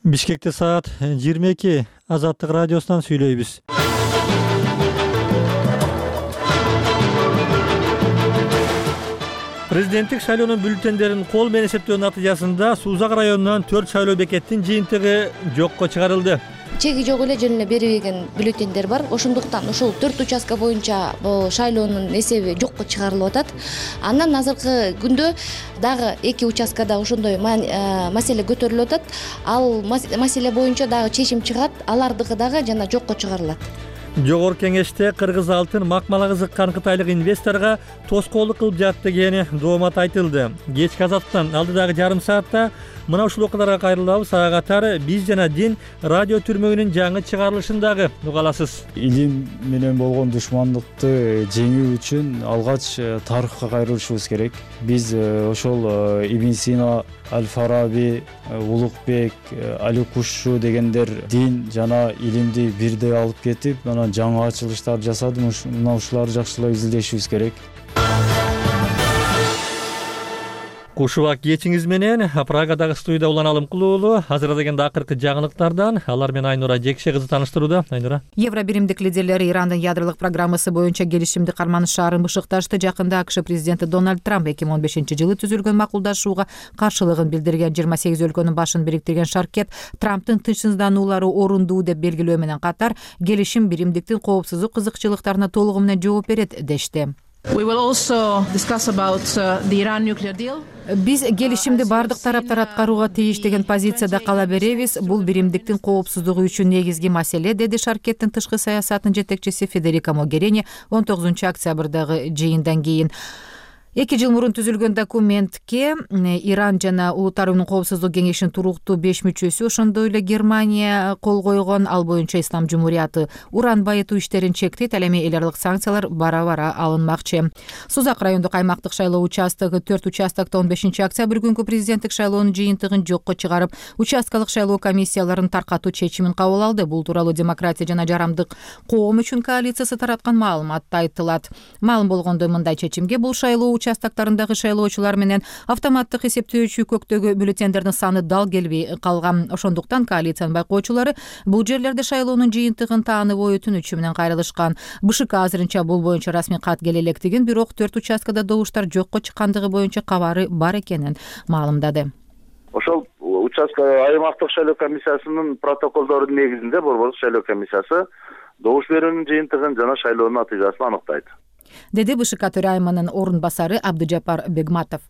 Бишкекте саат 22. Азаттык радиосунан сүйлөйбүз. Президенттик шайлоонун бюллетендерин кол менен эсептөө натыйжасында Сузак районунан 4 шайлоо бекеттин жыйынтыгы жокко чыгарылды. Чеги жок эле жөн эле берилген бюллетендер бар. Ошондуктан ушул 4 участка боюнча бул шайлоонун эсеби жокко чыгарылып атат. Андан азыркы күндө дагы 2 участкада ошондой маселе көтөрүлүп атат. Ал маселе боюнча дагы чечим чыгат, алардыгы дагы жана жокко чыгарылат. Жогорку кеңеште кыргыз алтын макмалга кызыккан кытайлык инвесторго тоскоолдук кылып жатты деген доомат айтылды. Кечки Азаттыктан алдыдагы жарым саатта мына ушул окуяларга кайрылабыз. Ага катары биз жана дин радио түрмөгүнүн жаңы чыгарылышын дагы уга аласыз. Илим менен болгон душмандыкты жеңүү үчүн алгач тарыхка кайрылышыбыз керек. Биз ошол Ибн Сина, Аль-Фараби, Улукбек, Али Кушчу дегендер дин жана илимди бирдей алып кетип, мына жаңы ачылыштар жасады. Мына ушуларды жакшылап изилдешибиз керек. Кушубак кечиңиз менен Прагадагы студияда Улан Алымкулуулу азырдагенде акыркы жаңылыктардан алар менен Айнура Жекше кызы тааныштырууда. Айнура. Евробиримдик лидерлери Ирандын ядролук программасы боюнча келишимди карманыш шаарын бышыкташты. Жакында АКШ президенти Дональд Трамп 2015-жылы түзүлгөн макулдашууга каршылыгын билдирген. 28 өлкөнүн башын бириктирген шаркет Трамптын тынчсыздануулары орундуу деп белгилөө менен катар келишим биримдиктин коопсуздук кызыкчылыктарына толугу менен жооп берет дешти. Биз келишимди бардык тараптар аткарууга тийиш деген позицияда кала беребиз. Бул биримдиктин коопсуздугу үчүн негизги маселе, деди шаркеттин тышкы саясатынын жетекчиси Федерико Могерини 19-октябрдагы жыйындан кийин. 2 жыл мурун түзүлгөн документке Иран жана Улуттар Уюмунун коопсуздук кеңешинин туруктуу 5 мүчөсү, ошондой эле Германия кол койгон. Ал боюнча Ислам Жумурияты уран байытуу иштерин чектейт. Ал эми эл аралык санкциялар бара-бара алынмакчы. Сузак райондук аймактык шайлоо участогу 4 участокто 15-октябрь күнкү президенттик шайлоонун жыйынтыгын жокко чыгарып, участкалык шайлоо комиссияларын таркатуу чечимин кабыл алды. Бул тууралуу Демократия жана жарамдык коом үчүн коалициясы тараткан маалыматта айтылат. Маалым болгондой, мындай чечимге бул шайлоо участоктарындагы шайлоочулар менен автоматтык эсептөөчү көктөгү бюллетендердин саны дал келбей калган. Ошондуктан коалициянын байкоочулары бул жерлерде шайлоонун жыйынтыгын таанып ой өтүнүчү менен кайрылышкан. БШК азырынча бул боюнча расмий кат келе электигин, бирок 4 участкада добуштар жокко чыккандыгы боюнча кабары бар экенин маалымдады. Ошол участка аймактык шайлоо комиссиясынын протоколдорунун негизинде борбордук шайлоо комиссиясы добуш берүүнүн жыйынтыгын жана шайлоонун натыйжасын аныктайт, деди БШК төрайымынын орун басары Абдыжапар Бегматов.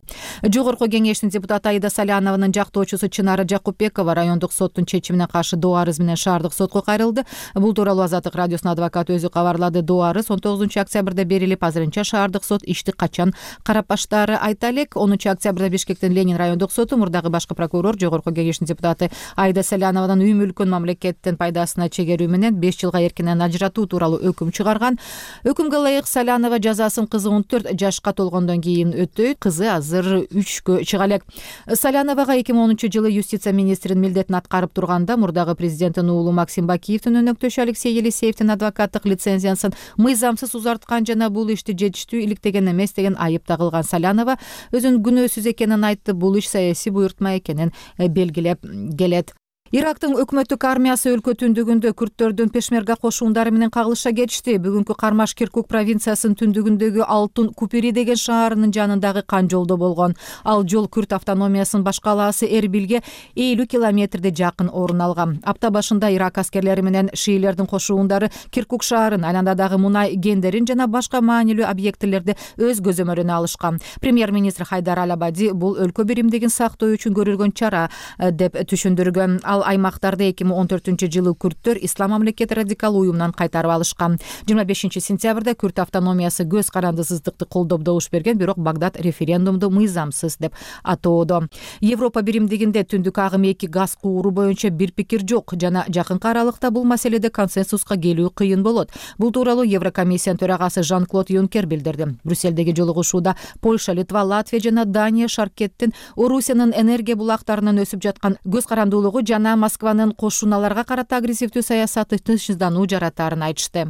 Жогорку кеңештин депутаты Аида Салянованын жактоочусу Чынара Жакупбекова райондук соттун чечимине каршы доо арыз менен шаардык сотко кайрылды. Бул тууралуу Азаттык радиосунун адвокаты өзү кабарлады. Доо арыз 19-октябрда берилип, азырынча шаардык сот ишти качан карап баштаары айта элек. 10-октябрда Бишкектин Ленин райондук соту мурдагы башкы прокурор жогорку кеңештин депутаты Аида Салянованын үй мүлкүн мамлекеттин пайдасына чегерүү менен 5 жылга эркинен ажыратуу тууралуу өкүм чыгарган. Өкүмгө ылайык Салянова жазасын кызы 14 жашка толгондон кийин өтөйт. Кызы азыр 3кө чыга элек. Саляновага 2010-жылы юстиция министринин милдетин аткарып турганда мурдагы президенттин уулу Максим Бакиевдин өнөктөшү Алексей Елисеевдин адвокаттык лицензиясын мыйзамсыз узарткан жана бул ишти жетиштүү иликтеген эмес деген айып тагылган. Салянова өзүнүн күнөөсүз экенин айтты. Бул иш саясий буйртма экенин белгилеп келет. Ирактын өкмөттүк армиясы өлкө түндүгүндө күрттөрдүн пешмерга кошуундары менен кагылышка кетишти. Бүгүнкү Кармаш Киркук провинциясынын түндүгүндөгү Алтын Купири деген шаарынын жанындагы кан жолдо болгон. Ал жол күрт автономиясынын башкалаасы Эрбилге 50 километрде жакын орун алган. Апта башында Ирак аскерлери менен шиилердин кошуундары Киркук шаарын, айландадагы мунай кендерин жана башка маанилүү объектилерди өз көзөмөлүнө алышкан. Премьер-министр Хайдар Аль-Абади бул өлкө биримдигин сактоо үчүн көрүлгөн чара деп түшүндүргөн. Ал аймактарды 2014-жылы күрттөр Ислам мамлекети радикал уюмунан кайтарып алышкан. 25-сентябрда күрт автономиясы көз карандысыздыкты колдоп добуш берген, бирок Багдад референдумду мыйзамсыз деп атоодо. Европа биримдигинде түндүк агым 2 газ кууру боюнча бир пикир жок жана жакынкы аралыкта бул маселеде консенсуска келүү кыйын болот. Бул тууралуу Еврокомиссиянын төрагасы Жан-Клод Юнкер билдирди. Брюссельдеги жолугушууда Польша, Литва, Латвия жана Дания шаркеттин Орусиянын энергия булактарынан өсүп жаткан көз карандуулугу жана Москванын кошуналарга карата агрессивдүү саясаты тынчсыздануу жаратаарын айтышты.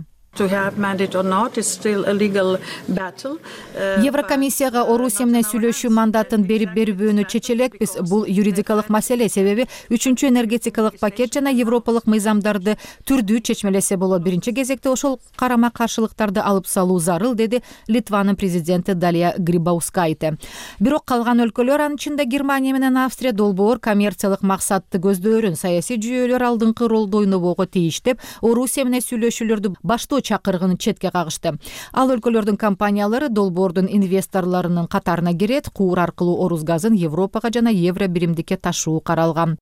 Еврокомиссияга Орусия менен сүйлөшүү мандатын берип бербөөнү чече элекпиз. Бул юридикалык маселе, себеби 3-чү энергетикалык пакет жана европалык мыйзамдарды түрдүү чечмелесе болот. Биринчи кезекте ошол карама каршылыктарды алып салуу зарыл, деди Литванын президенти Далия Грибаускайте. Бирок калган өлкөлөр, анын ичинде Германия менен Австрия, долбоор коммерциялык максатты көздөөрүн, саясий жүйөлөр алдыңкы ролду ойнобого тийиш деп, Орусия менен сүйлөшүүлөрдү баштоо чакырыгын четке кагышты. Ал өлкөлөрдүн компаниялары долбоордун инвесторлорунун катарына кирет, куур аркылуу Орус газын Европага жана евро биримдикке ташуу каралган.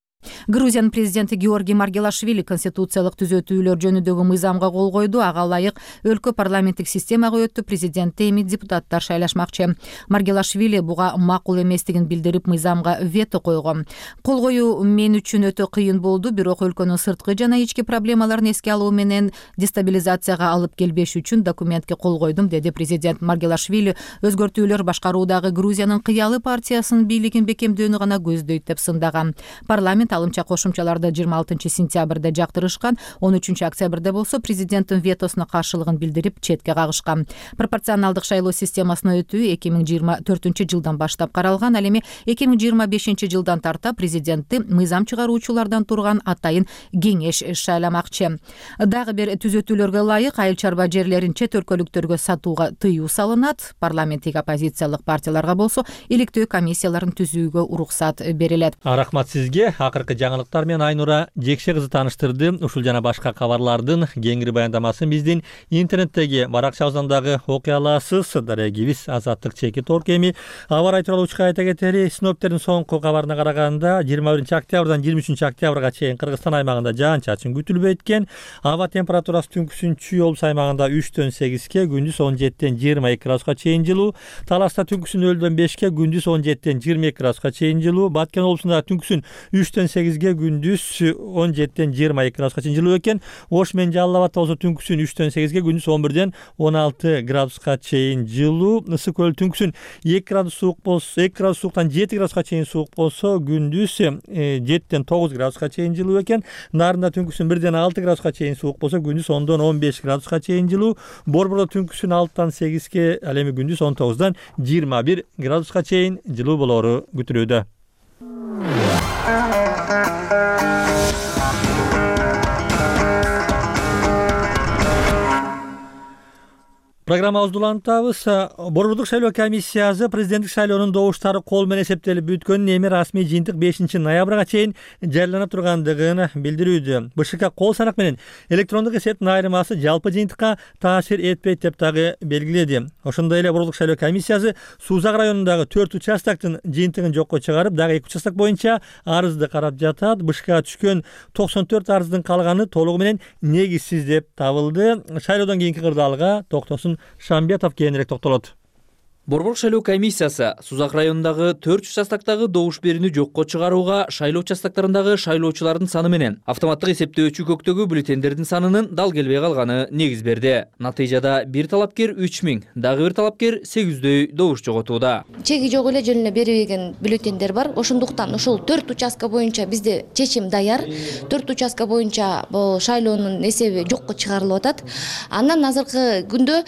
Грузиянын президенти Георгий Маргелашвили конституциялык түзөтүүлөр жөнүндөгү мыйзамга кол койду. Ага ылайык өлкө парламенттик системага өтүп, президентти эми депутаттар шайлашмакчы. Маргелашвили буга макул эместигин билдирип, мыйзамга вето койгон. Кол коюу мен үчүн өтө кыйын болду, бирок өлкөнүн сырткы жана ички проблемаларын эске алуу менен дестабилизацияга алып келбеш үчүн документке кол койдум, деди президент. Маргелашвили өзгөртүүлөр башкаруудагы Грузиянын кыялы партиясынын бийлигин бекемдөөнү гана көздөйт деп сындаган. Парламент алымча кошумчаларды 26 сентябрда жактырышкан. 13 октябрда болсо президенттин ветосуна каршылыгын билдирип четке кагышкан. Пропорционалдык шайлоо системасына өтүү 2024 жылдан баштап каралган. Ал эми 2025 жылдан тарта президентти мыйзам чыгаруучулардан турган атайын кеңеш шайламакчы. Дагы бир түзөтүүлөргө ылайык айыл чарба жерлерин чет өлкөлүктөргө сатууга тыюу салынат. Парламенттик оппозициялык партияларга болсо иликтөө комиссияларын түзүүгө уруксат берилет. Рахмат сизге. Акыркы жаңылыктар менен Айнура Жекше кызы тааныштырды. Ушул жана башка кабарлардын кеңири баяндамасын биздин интернеттеги баракчабыздан дагы окуй аласыз. Дарегибиз Азаттык чеки торкеми. Аба ырайы тууралуу учка айта кетери, синоптиктердин соңку кабарына караганда 21 октябрдан 23 октябрга чейин Кыргызстан аймагында жаан-чачын күтүлбөйт экен. Аба температурасы түнкүсүн Облус аймагында 3-төн 8-ке, күндүз 17-тен 22 градуска чейин жылуу. Таласта түнкүсүн 0-дөн 5-ке, күндүз 17-тен 22 градуска чейин жылуу. Баткен облусунда түнкүсүн 3-төн 8-ге, күндүз 17-тен 22 градуска чейин жылуу экен. Ош менен Жалал Абадта болсо түнкүсүн 3-төн 8-ге, күндүз 11-ден 16 градуска чейин жылуу. Ысык көл түнкүсүн 2 градус суук болсо, 2 градус сууктан 7 градуска чейин суук болсо, күндүз 7-тен 9 градуска чейин жылуу экен. Нарында түнкүсүн 1-ден 6 градуска чейин суук болсо, күндүз 10-дон 15 градуска чейин жылуу. Борбордо түнкүсүн 6-тан 8-ке, ал эми күндүз 19-дан 21 градуска чейин жылуу болору күтүлүүдө. Программабызды улантабыз. Борбордук шайлоо комиссиясы президенттик шайлоонун добуштары кол менен эсептелип бүткөнүн, эми расмий жыйынтык 5 ноябрга чейин жарыялана тургандыгын билдирүүдө. БШК кол санак менен электрондук эсептин айырмасы жалпы жыйынтыкка таасир этпейт деп дагы белгиледи. Ошондой эле Борбордук шайлоо комиссиясы Сузак районундагы 4 участоктун жыйынтыгын жокко чыгарып, дагы 2 участок боюнча арызды карап жатат. БШК түшкөн 94 арыздын калганы толугу менен негизсиз деп табылды. Шайлоодон кийинки кырдаалга Токтосун Шамбетов кийинирээк токтолот. Борбордук шайлоо комиссиясы Сузак районундагы 4 участоктогу добуш берүүнү жокко чыгарууга шайлоо участоктарындагы шайлоочулардын саны менен автоматтык эсептөөчү көктөгү бюллетендердин санынын дал келбей калганы негиз берди. Натыйжада бир талапкер 3000, дагы бир талапкер 800дөй добуш жоготууда. Чеги жок эле жөн эле берилген бюллетендер бар. Ошондуктан ушул 4 участка боюнча бизде чечим даяр. 4 участка боюнча бул шайлоонун эсеби жокко чыгарылып атат. Андан азыркы күндө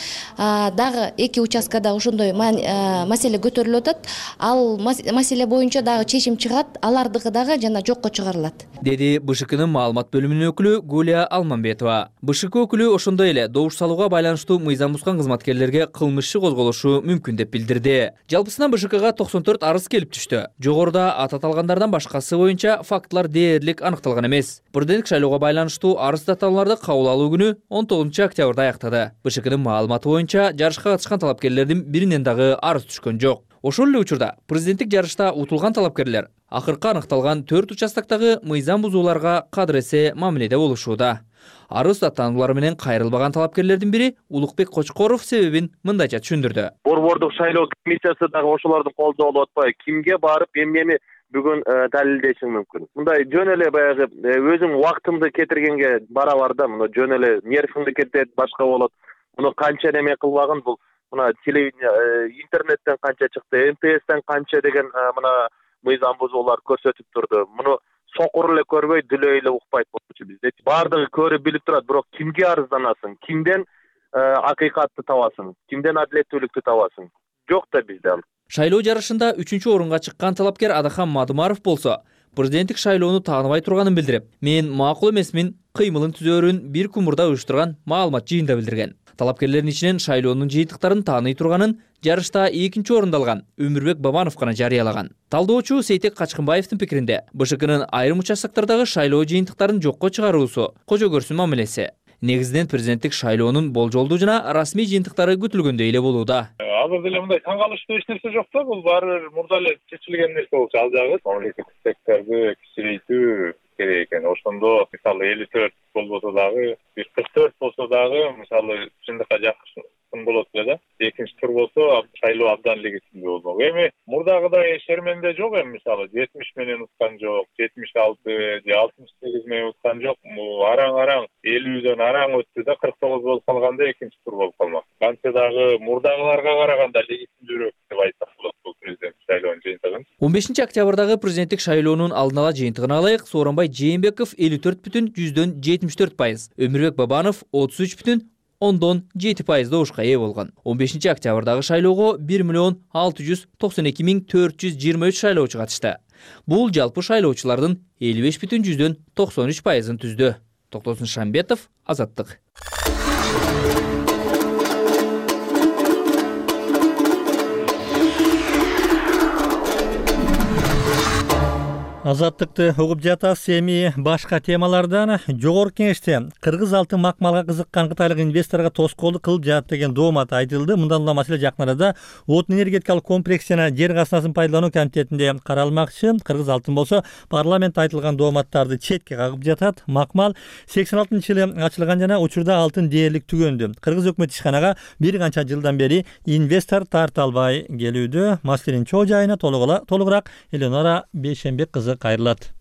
дагы 2 участкада ошондой маселе көтөрүлүп атат. Ал маселе боюнча дагы чечим чыгат, алардыкы дагы жана жокко чыгарылат, деди БШКнын маалымат бөлүмүнүн өкүлү Гулия Алманбетова. БШК өкүлү ошондой эле добуш салууга байланыштуу мыйзам бузган кызматкерлерге кылмыш иши козголушу мүмкүн деп билдирди. Жалпысынан БШКга 94 арыз келип түштү. Жогоруда аты аталгандардан башкасы боюнча фактылар дээрлик аныкталган эмес. Президенттик шайлоого байланыштуу арыз даттанууларды кабыл алуу күнү 19 октябрда аяктады. БШКнын маалыматы боюнча жарышка катышкан талапкерлердин биринен дагы арыз түшкөн жок. Ошол эле учурда президенттик жарышта утулган талапкерлер акыркы аныкталган 4 участоктогу мыйзам бузууларга кадыр эсе мамиледе болушууда. Арыз даттануулары менен кайрылбаган талапкерлердин бири Улукбек Кочкоров себебин мындайча түшүндүрдү. Борбордук шайлоо комиссиясы дагы ошолордун колунда болуп атпайбы? Кимге барып эмнени бүгүн далилдешиң мүмкүн? Мындай жөн эле баягы өзүң убактыңды кетиргенге бара да, мына жөн эле нервиңди кетет, башка болот. Муну канча неме кылбагын бул? Мына телевидение, интернеттен канча чыкты, МТСтен канча деген мына мыйзам бузуулар көрсөтүп турду. Муну сокур эле көрбөй, дүлөй эле укпайт болчу бизде. Бардыгы көрүп билип турат, бирок кимге арызданасың? Кимден акыйкатты табасың, кимден адилеттүүлүктү табасың? Жок да бизде ал. Шайлоо жарышында 3-чү орунга чыккан талапкер Адахан Мадымаров болсо, президенттик шайлоону тааныбай турганын билдирип, мен макул эмесмин, кыймылын түзөөрүн бир күн мурда уюштурган маалымат жыйында билдирген. Талапкерлердин ичинен шайлоонун жыйынтыктарын тааный турганын жарышта 2-нчи орунду алган Өмүрбек Бабанов гана жарыялаган. Талдоочу Сейтек Качкынбаевдин пикиринде, БШКнын айрым участоктардагы шайлоо жыйынтыктарын жокко чыгаруусу кожо көрсүн мамилеси. Негизинен президенттик шайлоонун болжолдуу жана расмий жыйынтыктары күтүлгөндөй эле болууда. Азыр деле мындай таң калыштуу эч нерсе жок да, бул баары бир мурда эле чечилген нерсе болчу. Ал жагы мамлекеттик секторду кичирейтүү керек экен. Ошондо мисалы 54 болбосо дагы, 44 болсо дагы мисалы чындыкка жакын болот эле да. Экинчи тур болсо шайлоо абдан легитимдүү болмок. Эми мурдагыдай шерменде жок эми мисалы 70 менен уткан жок, 76 же 68 менен уткан жок. Араң 50дөн араң өттү да 49 болуп калганда экинчи тур болуп калмак. Кантсе дагы мурдагыларга караганда легитимдүүрөөк деп айтсак болот бул президент шайлоонун жыйынтыгын. 15 октябрдагы президенттик шайлоонун алдын ала жыйынтыгын алайык. Сооронбай Жээнбеков 54,7%, Өмүрбек Бабанов 33,7% добушка ээ болгон. 15 октябрдагы шайлоого 1,692,423 шайлоочу катышты. Бул жалпы шайлоочулардын 55,93%-ын түздү. Токтосун Шамбетов, Азаттык. Азаттыкты угуп жатасыз. Эми башка темалардан жогорку кеңеште кыргыз алтын макмалга кызыккан кытайлык инвесторго тоскоолдук кылып жатат деген доомат айтылды. Мындан улам маселе жакын арада отун энергетикалык комплекс жана жер казынасын пайдалануу комитетинде каралмакчы. Кыргыз алтын болсо парламентте айтылган дооматтарды четке кагып жатат. Макмал 86-жылы ачылган жана учурда алтын дээрлик түгөндү. Кыргыз өкмөт ишканага бир канча жылдан бери инвестор тарта албай келүүдө. Маселенин чоо жайына толугураак Эленора Бейшенбек кызы кайрылат.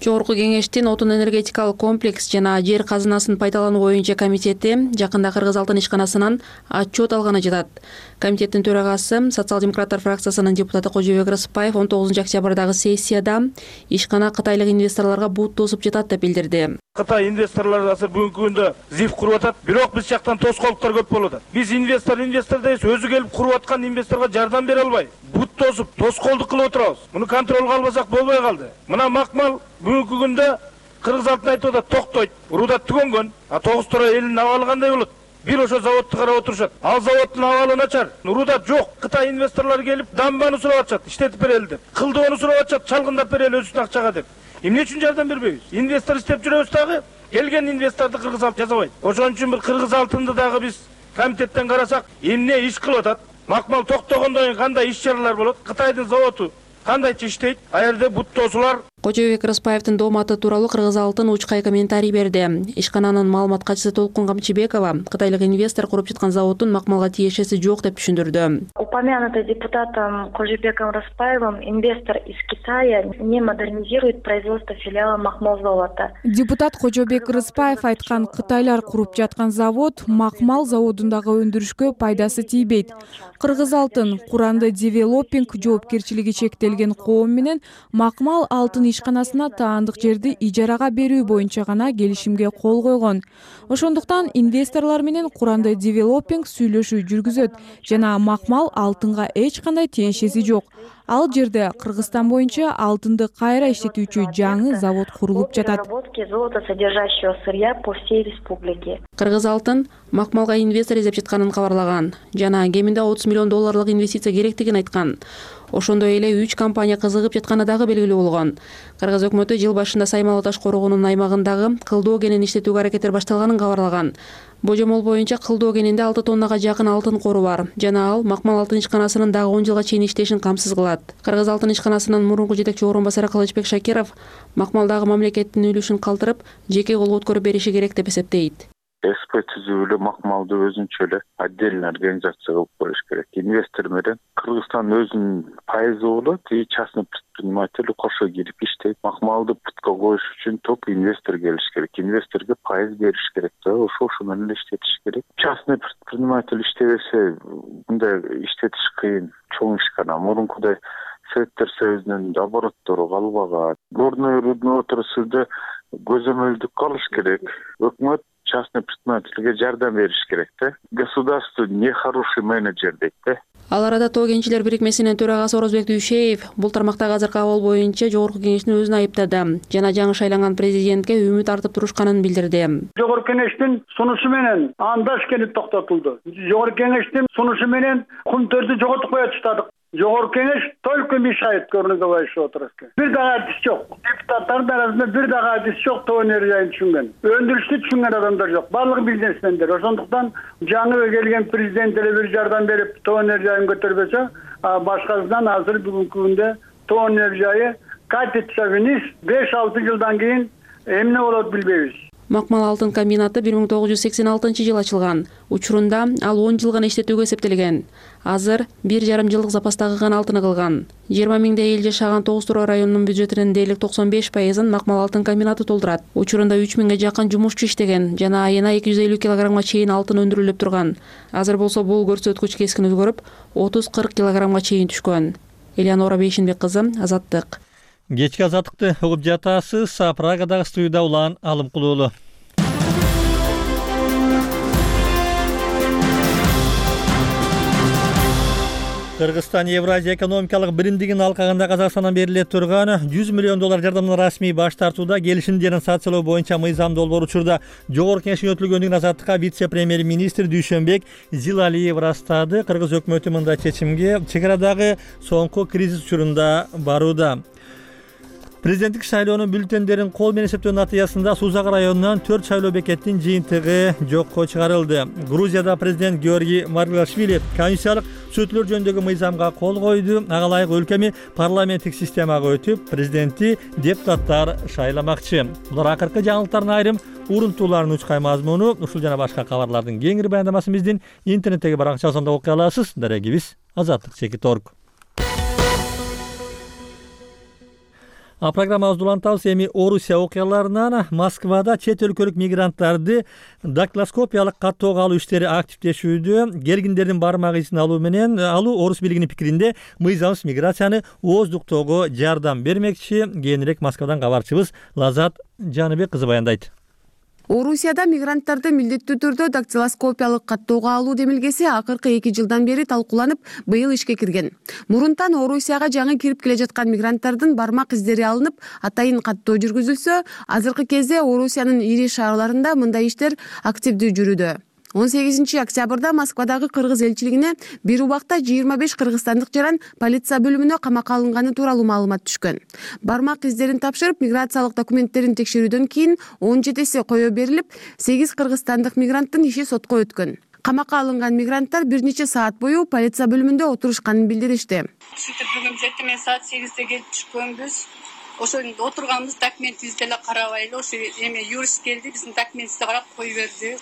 Жогорку кеңештин отун энергетикалык комплекс жана жер казынасын пайдалануу боюнча комитети жакында Кыргыз алтын ишканасынан отчет алганы жатат. Комитеттин төрагасы социал-демократтар фракциясынын депутаты Кожобек Рыспаев 19 октябрдагы сессияда ишкана кытайлык инвесторлорго бут тосуп жатат деп билдирди. Кытай инвесторлор азыр бүгүнкү күндө зиф куруп атат, бирок биз жактан тоскоолдуктар көп болуп атат. Биз инвестор дейбиз, өзү келип куруп аткан инвесторго жардам бере албай, бут тосуп, тоскоолдук кылып отурабыз. Муну контролго албасак болбой калды. Мына макмал бүгүнкү күндө Кыргыз алтын айтып атат, токтойт, уруудат түгөнгөн, тогуз тура элинин абалы кандай болот? Бир ошо заводду карап отурушат. Ал заводдун абалы начар, уруудат жок. Кытай инвесторлор келип дамбаны сурап атышат, иштетип берели деп. Кылдоону сурап атышат, чалгындап берели өзүнүн акчага деп. Эмне үчүн жардам бербейбиз? Инвестор иштеп жүрөбүз дагы, келген инвесторду Кыргыз алтын жазабайт. Ошон үчүн бир Кыргыз алтынды дагы биз комитеттен карасак, эмне иш кылып атат? Макмал токтогондон кийин кандай иш чаралар болот? Кытайдын заводу кандайча иштейт? Аерде бут тосуулар. Кожобек Рыспаевдин дооматы тууралуу Кыргыз алтын учкай комментарий берди. Ишкананын маалымат катчысы Толкун Камчыбекова кытайлык инвестор куруп жаткан заводдун макмалга тиешеси жок деп түшүндүрдү. Упомянутый депутатом Кожобеком Рыспаевым, инвестор из Китая не модернизирует производство филиала макмал завода. Депутат Кожобек Рыспаев айткан кытайлар куруп жаткан завод макмал заводундагы өндүрүшкө пайдасы тийбейт. Кыргыз алтын Куранды девелопинг жоопкерчилиги чектелген коом менен макмал алтын ишканасына таандык жерди ижарага берүү боюнча гана келишимге кол койгон. Ошондуктан инвесторлор менен Куранды девелопинг сүйлөшүү жүргүзөт жана макмал алтынга эч кандай тиешеси жок. Ал жерде Кыргызстан боюнча алтынды кайра иштетүүчү жаңы завод курулуп жатат. Золотосодержащего сырья по всей республике. Кыргыз алтын макмалга инвестор издеп жатканын кабарлаган жана кеминде $30 миллион инвестиция керектигин айткан. Ошондой эле 3 компания кызыгып жатканы дагы белгилүү болгон. Кыргыз өкмөтү жыл башында Саймалы таш корогонунун аймагындагы кылдоо кенин иштетүүгө аракеттер башталганын кабарлаган. Божомол боюнча кылдоо кенинде 6 тоннага жакын алтын кору бар жана ал макмал алтын ишканасынын дагы 10 жылга чейин иштешин камсыз кылат. Кыргыз алтын ишканасынын мурунку жетекчи орун басары Кылычбек Шакиров макмалдагы мамлекеттин үлүшүн калтырып, жеке колго өткөрүп бериши керек деп эсептейт. СП түзүү эле макмалды өзүнчө эле отдельно организация кылып коюш керек. Инвестор менен Кыргызстан өзүнүн пайызы болот, и частный предприниматель кошо кирип иштейт. Макмалды путка коюш үчүн только инвестор келиш керек. Инвесторго пайыз бериш керек да, ошо менен иштетиш керек. Частный предприниматель иштебесе мындай иштетиш кыйын, чоң ишкана. Мурункудай Советтер Союзунун обороттору калбаган. Горный рудный отрасльде көзөмөлдүк калыш керек. Өкмөт частный предпринимательге жардам бериш керек да. Государство не хороший менеджер дейт да. Ал арада Тоо кенчилер бирикмесинин төрагасы Орозбек Дүйшеев бул тармактагы азыркы абал боюнча жогорку кеңештин өзүн айыптады жана жаңы шайланган президентке үмүт артып турушканын билдирди. Жогорку кеңештин сунушу менен андаш келип токтотулду. Жогорку кеңештин сунушу менен кумтөрдү жоготуп коя баштадык. Жогорку кеңеш только мешает көрүнүгө отурат. Бир дагы адис жок. Депутаттардын арасында бир дагы адис жок. Тоо энергияны түшүнгөн. Өндүрүштү түшүнгөн адамдар жок. Барлыгы бизнесмендер. Ошондуктан жаңы келген президент эле бир жардам берип тоо энергияны көтөрбөсө, башкасынан азыр бүгүнкү күндө тоо энергия катится вниз. 5-6 жылдан кийин эмне болот билбейбиз. Макмал алтын комбинаты 1986 ачылган. Учурунда ал 10 жыл гана иштетүүгө эсептелген. Азыр 1,5 жылдык запастагы гана алтыны калган. 20 миңдей эл жашаган Тоос Тураа районунун бюджетинин дээрлик 95%ын Макмал алтын комбинаты толтурат. Учурунда 3 миңге жакын жумушчу иштеген жана айына 250 килограммга чейин алтын өндүрүлүп турган. Азыр болсо бул көрсөткүч кескин өзгөрүп, 30-40 килограммга чейин түшкөн. Элеонора Бейшинбек кызы, Азаттык. Кечки азаттыкты угуп жатасыз. Прагадагы студияда Улан Алымкулуулу. Кыргызстан Евразия экономикалык биримдигин алкагында Казакстандан бериле турган $100 миллион жардамдан расмий баш тартууда келишим жана санкциялоо боюнча мыйзам долбоор учурда жогорку кеңештин өтүлгөндүгүн Азаттыкка вице-премьер-министр Дүйшөнбек Зилалиев ырастады. Кыргыз өкмөтү мындай чечимге чек арадагы соңку кризис учурунда барууда. Президенттик шайлоонун бюллетендерин кол менен эсептөө натыйжасында Сузак районунан 4 шайлоо бекеттин жыйынтыгы жокко чыгарылды. Грузияда президент Георгий Маргвелашвили конституциялык түзөтүүлөр жөнүндөгү мыйзамга кол койду. Ага ылайык өлкөмү парламенттик системага өтүп, президентти депутаттар шайламакчы. Булар акыркы жаңылыктардын айрым урунтууларынын учкай мазмуну. Ушул жана башка кабарлардын кеңири баяндамасын биздин интернеттеги баракчасында окуй аласыз. Дарегибиз Азаттык.org. Программабызды улантабыз. Эми Орусия окуяларынан Москвада чет өлкөлүк мигранттарды дактилоскопиялык каттоого алуу иштери активдешүүдө. Келгиндердин бармак изин алуу менен орус бийлигинин пикиринде мыйзамсыз миграцияны ооздуктоого жардам бермекчи. Кийинирээк Москвадан кабарчыбыз Лазат Жаныбек кызы баяндайт. Орусияда мигранттарды милдеттүү түрдө дактилоскопиялык каттоого алуу демилгеси акыркы 2 жылдан бери талкууланып, быйыл ишке кирген. Мурунтан Орусияга жаңы кирип келе жаткан мигранттардын бармак издери алынып, атайын каттоо жүргүзүлсө, азыркы кезде Орусиянын ири шаарларында мындай иштер активдүү жүрүүдө. 18 октябрда Москвадагы кыргыз элчилигине бир убакта 25 кыргызстандык жаран полиция бөлүмүнө камакка алынганы тууралуу маалымат түшкөн. Бармак издерин тапшырып, миграциялык документтерин текшерүүдөн кийин 17си коё берилип, 8 кыргызстандык мигранттын иши сотко өткөн. Камакка алынган мигранттар бир нече саат бою полиция бөлүмүндө отурушканын билдиришти. Бүгүн эртең саат 8де келип түшкөнбүз. Ошондо отурганбыз, документибизди эле карабайлы, ошо эме юрист келди, биздин документибизди карап кой берди.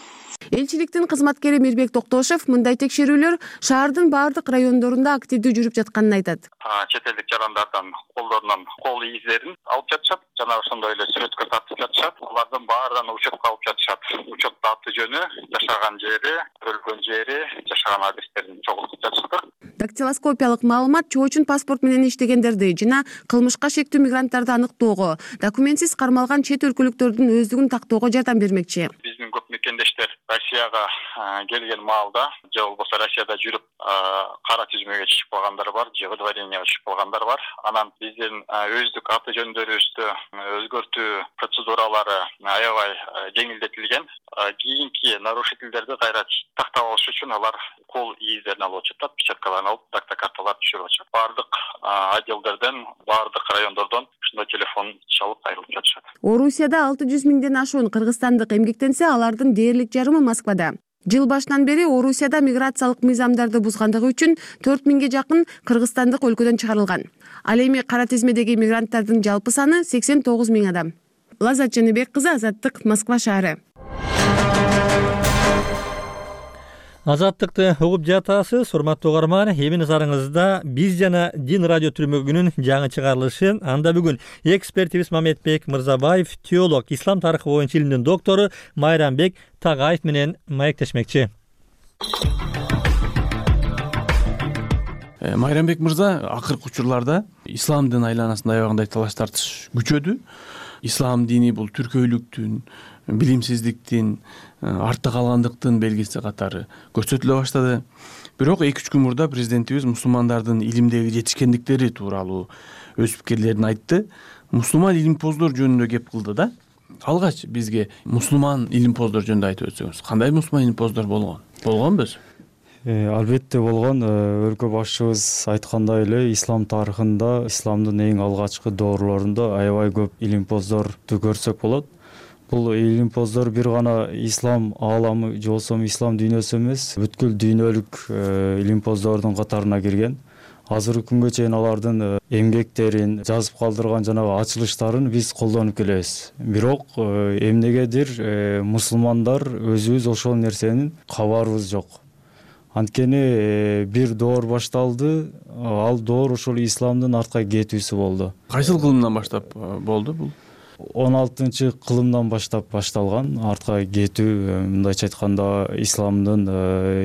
Элчиликтин кызматкери Мирбек Токтошев мындай текшерүүлөр шаардын баардык райондорунда активдүү жүрүп жатканын айтат. Чет элдик жарандардан колдорунан кол издерин алып жатышат, жана ошондой эле сүрөткө тартып жатышат. Алардын баарынан учетко алып жатышат. Учетто аты жөнү, жашаган жери, өлгөн жери, жашаган адрестерин чогултуп жатышат. Дактилоскопиялык маалымат чоочун паспорт менен иштегендерди жана кылмышка шектүү мигранттарды аныктоого, документсиз кармалган чет өлкөлүктөрдүн өздүгүн тактоого жардам бермекчи. Биздин көп мекендештер Россияга келген маалда, же болбосо Россияда жүрүп кара тизмеге чыгып калгандар бар, же выдворенияга чыгып калгандар бар. Анан биздин өздүк аты жөндөрүбүздү өзгөртүү процедуралары аябай жеңилдетилген. Кийинки нарушительдерди кайра тактап алыш үчүн алар кол издерин алып жатат, печаткаларын алып, дактакарталар түшүрүп жатат. Бардык отделдерден, бардык райондордон ушундай телефон чалып кайрылып жатышат. Орусияда 600 миңден ашуун кыргызстандык эмгектенсе, алардын дээрлик жарымы Москвада. Жыл башынан бери Орусияда миграциялык мыйзамдарды бузгандыгы үчүн 4 миңге жакын кыргызстандык өлкөдөн чыгарылган. Ал эми кара тизмедеги мигранттардын жалпы саны 89 миң адам. Лазат Жаныбек кызы, Азаттык, Москва шаары. Азаттыкты угуп жатасыз, урматтуу угарман. Эми назарыңызда биз жана Дин радио түрмөгүнүн жаңы чыгарылышы. Анда бүгүн экспертибиз Мамедбек Мырзабаев, теолог, ислам тарыхы боюнча илимдин доктору Майрамбек Тагаев менен маектешмекчи. Майрамбек мырза, акыркы учурларда ислам дин айланасында аябагандай талаш тартыш күчөдү. ислам дини бул түркөйлүктүн, билимсиздиктин, артта калгандыктын белгиси катары көрсөтүлө баштады. Бирок 2-3 күн мурда президентибиз мусулмандардын илимдеги жетишкендиктери тууралуу өз пикирлерин айтты. Мусулман илимпоздор жөнүндө кеп кылды да. Алгач бизге мусулман илимпоздор жөнүндө айтып өтсөңүз, кандай мусулман илимпоздор болгонбу? Албетте болгон. Өлкө башчыбыз айткандай эле ислам тарыхында, исламдын эң алгачкы доорлорунда аябай көп илимпоздорду көрсөк болот. Бул илимпоздор бир гана ислам ааламы же болбосо ислам дүйнөсү эмес, бүткүл дүйнөлүк илимпоздордун катарына кирген. Азыркы күнгө чейин алардын эмгектерин, жазып калдырган жанагы ачылыштарын биз колдонуп келебиз. Бирок эмнегедир мусулмандар өзүбүз ошол нерсенин кабарыбыз жок. Анткени бир доор башталды, ал доор ошол исламдын артка кетүүсү болду. Кайсыл кылымдан баштап болду бул? 16-кылымдан баштап башталган артка кетүү, мындайча айтканда исламдын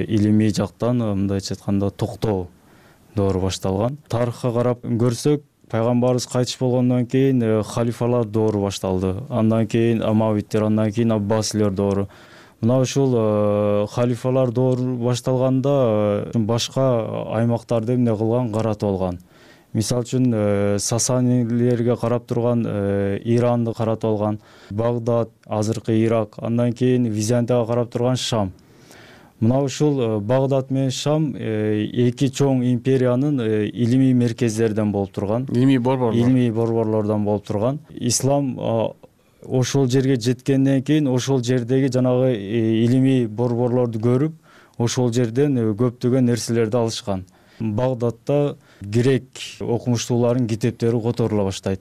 илимий жактан мындайча айтканда токтоо доору башталган. Тарыхка карап көрсөк, пайгамбарыбыз кайтыш болгондон кийин халифалар доору башталды. Андан кийин Амавиттер, андан кийин Аббасилер доору. Мына ушул халифалар доору башталганда башка аймактарды эмне кылган, каратып алган. Мисалы үчүн Сасанилерге карап турган Иранды каратып алган, Багдад, азыркы Ирак, андан кийин Византияга карап турган Шам. Мына ушул Багдад менен Шам эки чоң империянын илимий меркездерден болуп турган. Илимий борборлордон болуп турган. Ислам ошол жерге жеткенден кийин ошол жердеги жанагы илимий борборлорду көрүп, ошол жерден көптөгөн нерселерди алышкан. Багдадта грек окумуштуулардын китептери которула баштайт.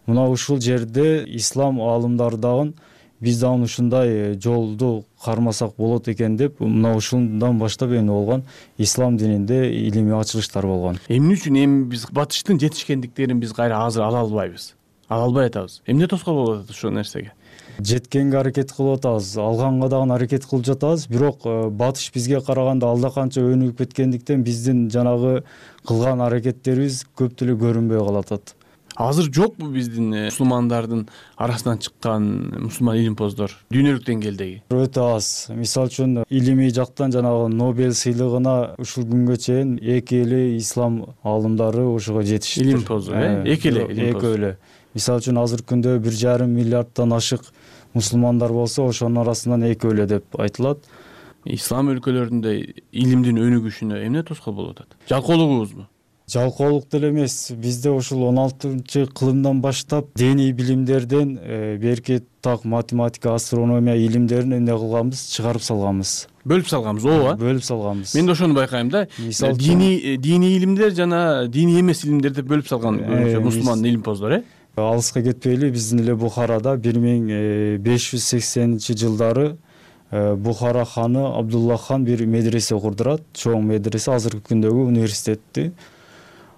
Мына ушул жерде ислам аалымдары дагы биз дагы ушундай жолду кармасак болот экен деп, мына ушундан баштап эмне болгон, ислам дининде илимий ачылыштар болгон. Эмне үчүн биз батыштын жетишкендиктерин биз кайра азыр ала албайбыз? Ала албай атабыз. Эмне тоскоол болуп атат ушул нерсеге? Жеткенге аракет кылып атабыз, алганга дагы аракет кылып жатабыз, бирок батыш бизге караганда алда канча өнүгүп кеткендиктен биздин жанагы кылган аракеттерибиз көп деле көрүнбөй калатат. Азыр жокпу биздин мусулмандардын арасынан чыккан мусулман илимпоздор дүйнөлүк деңгээлдеги? Өтө аз. Мисалы үчүн илимий жактан жанагы Нобель сыйлыгына ушул күнгө чейин эки эле ислам аалымдары ошого жетишти. Илимпоздор, эки эле. Мисалы үчүн азыркы күндө 1,5 миллиарддан ашык мусулмандар болсо, ошонун арасынан эки эле деп айтылат. Ислам өлкөлөрүндө илимдин өнүгүшүнө эмне тоскоол болуп атат? Жалкоолугубузбу? Жалкоолук деле эмес. Бизде ушул 16-кылымдан баштап диний билимдерден берки так математика, астрономия илимдерин эмне кылганбыз, чыгарып салганбыз. Бөлүп салганбыз, ооба. Бөлүп салганбыз. Мен да ошону байкайм да. Диний илимдер жана диний эмес илимдер деп бөлүп салган мусулман илимпоздор, Алыска кетпейли, биздин эле Бухарада 1580-жылдары Бухара ханы Абдулла хан бир медресе курдурат, чоң медресе, азыркы күндөгү университетти.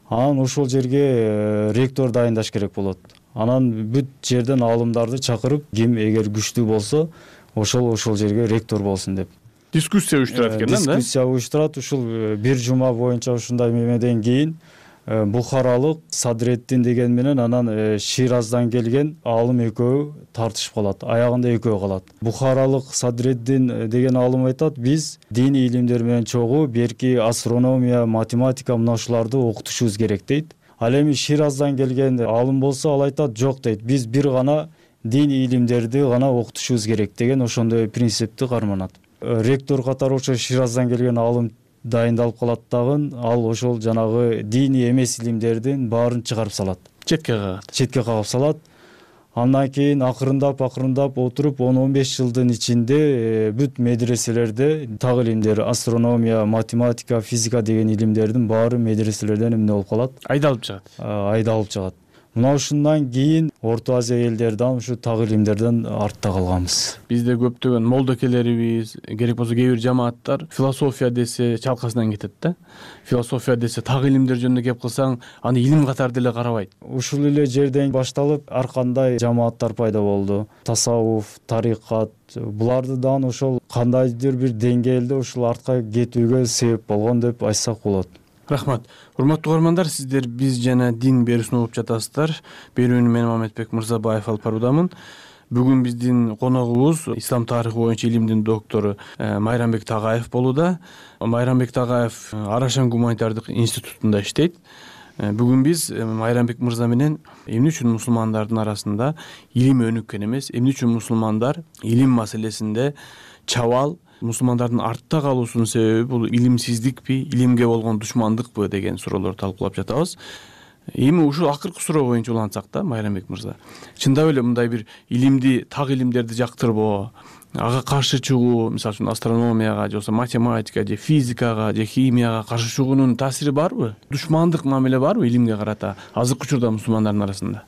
Анан ошол жерге ректор дайындаш керек болот. Анан бүт жерден аалымдарды чакырып, ким эгер күчтүү болсо, ошол жерге ректор болсун деп. Дискуссия уюштурат экен да? Дискуссия уюштурат. Ушул бир жума боюнча ушундай мемеден кийин Бухаралык Садреддин деген менен анан Шираздан келген аалым экөө тартышып калат. Аягында экөө калат. Бухаралык Садреддин деген аалым айтат, биз диний илимдер менен чогуу берки астрономия, математика мына ушуларды окутушубуз керек дейт. Ал эми Шираздан келген аалым болсо, ал айтат, жок дейт, биз бир гана диний илимдерди гана окутушубуз керек деген ошондой принципти карманат. Ректор катары ошо Шираздан келген аалым дайындалып калат дагы, ал ошол жанагы диний эмес илимдердин баарын чыгарып салат. Четке кагып салат. Андан кийин акырындап отуруп 10-15 жылдын ичинде бүт медреселерде так илимдер, астрономия, математика, физика деген илимдердин баары медреселерден эмне болуп калат? Айдалып чыгат. Мына ушундан кийин Орто Азия элдерден ушу так илимдерден артта калганбыз. Бизде көптөгөн молдокелерибиз, керек болсо кээ бир жамааттар философия десе чалкасынан кетет да. Философия десе так илимдер жөнүндө кеп кылсаң, аны илим катары деле карабайт. Ушул эле жерден башталып ар кандай жамааттар пайда болду. Тасаввуф, тарикат, буларды дагы ошол кандайдыр бир деңгээлде ушул артка кетүүгө себеп болгон деп айтсак болот. Рахмат. Урматтуу угармандар, сиздер биз жана дин берүүсүн угуп жатасыздар. Берүүнү мен Маматбек Мырзабаев алып баруудамын. Бүгүн биздин коногубуз ислам тарыхы боюнча илимдин доктору Майрамбек Тагаев болууда. Майрамбек Тагаев Арашан гуманитардык институтунда иштейт. Бүгүн биз Майрамбек мырза менен эмне үчүн мусулмандардын арасында илим өнүккөн эмес, эмне үчүн мусулмандар илим маселесинде чабал, мусулмандардын артта калуусунун себеби бул илимсиздикпи, илимге болгон душмандыкпы деген суроолорду талкуулап жатабыз. Эми ушул акыркы суроо боюнча улантсак да, Майрамбек мырза, чындап эле мындай бир илимди, так илимдерди жактырбоо, ага каршы чыгуу, мисалы үчүн астрономияга же болбосо математикага же физикага же химияга каршы чыгуунун таасири барбы? Душмандык мамиле барбы илимге карата азыркы учурда мусулмандардын арасында?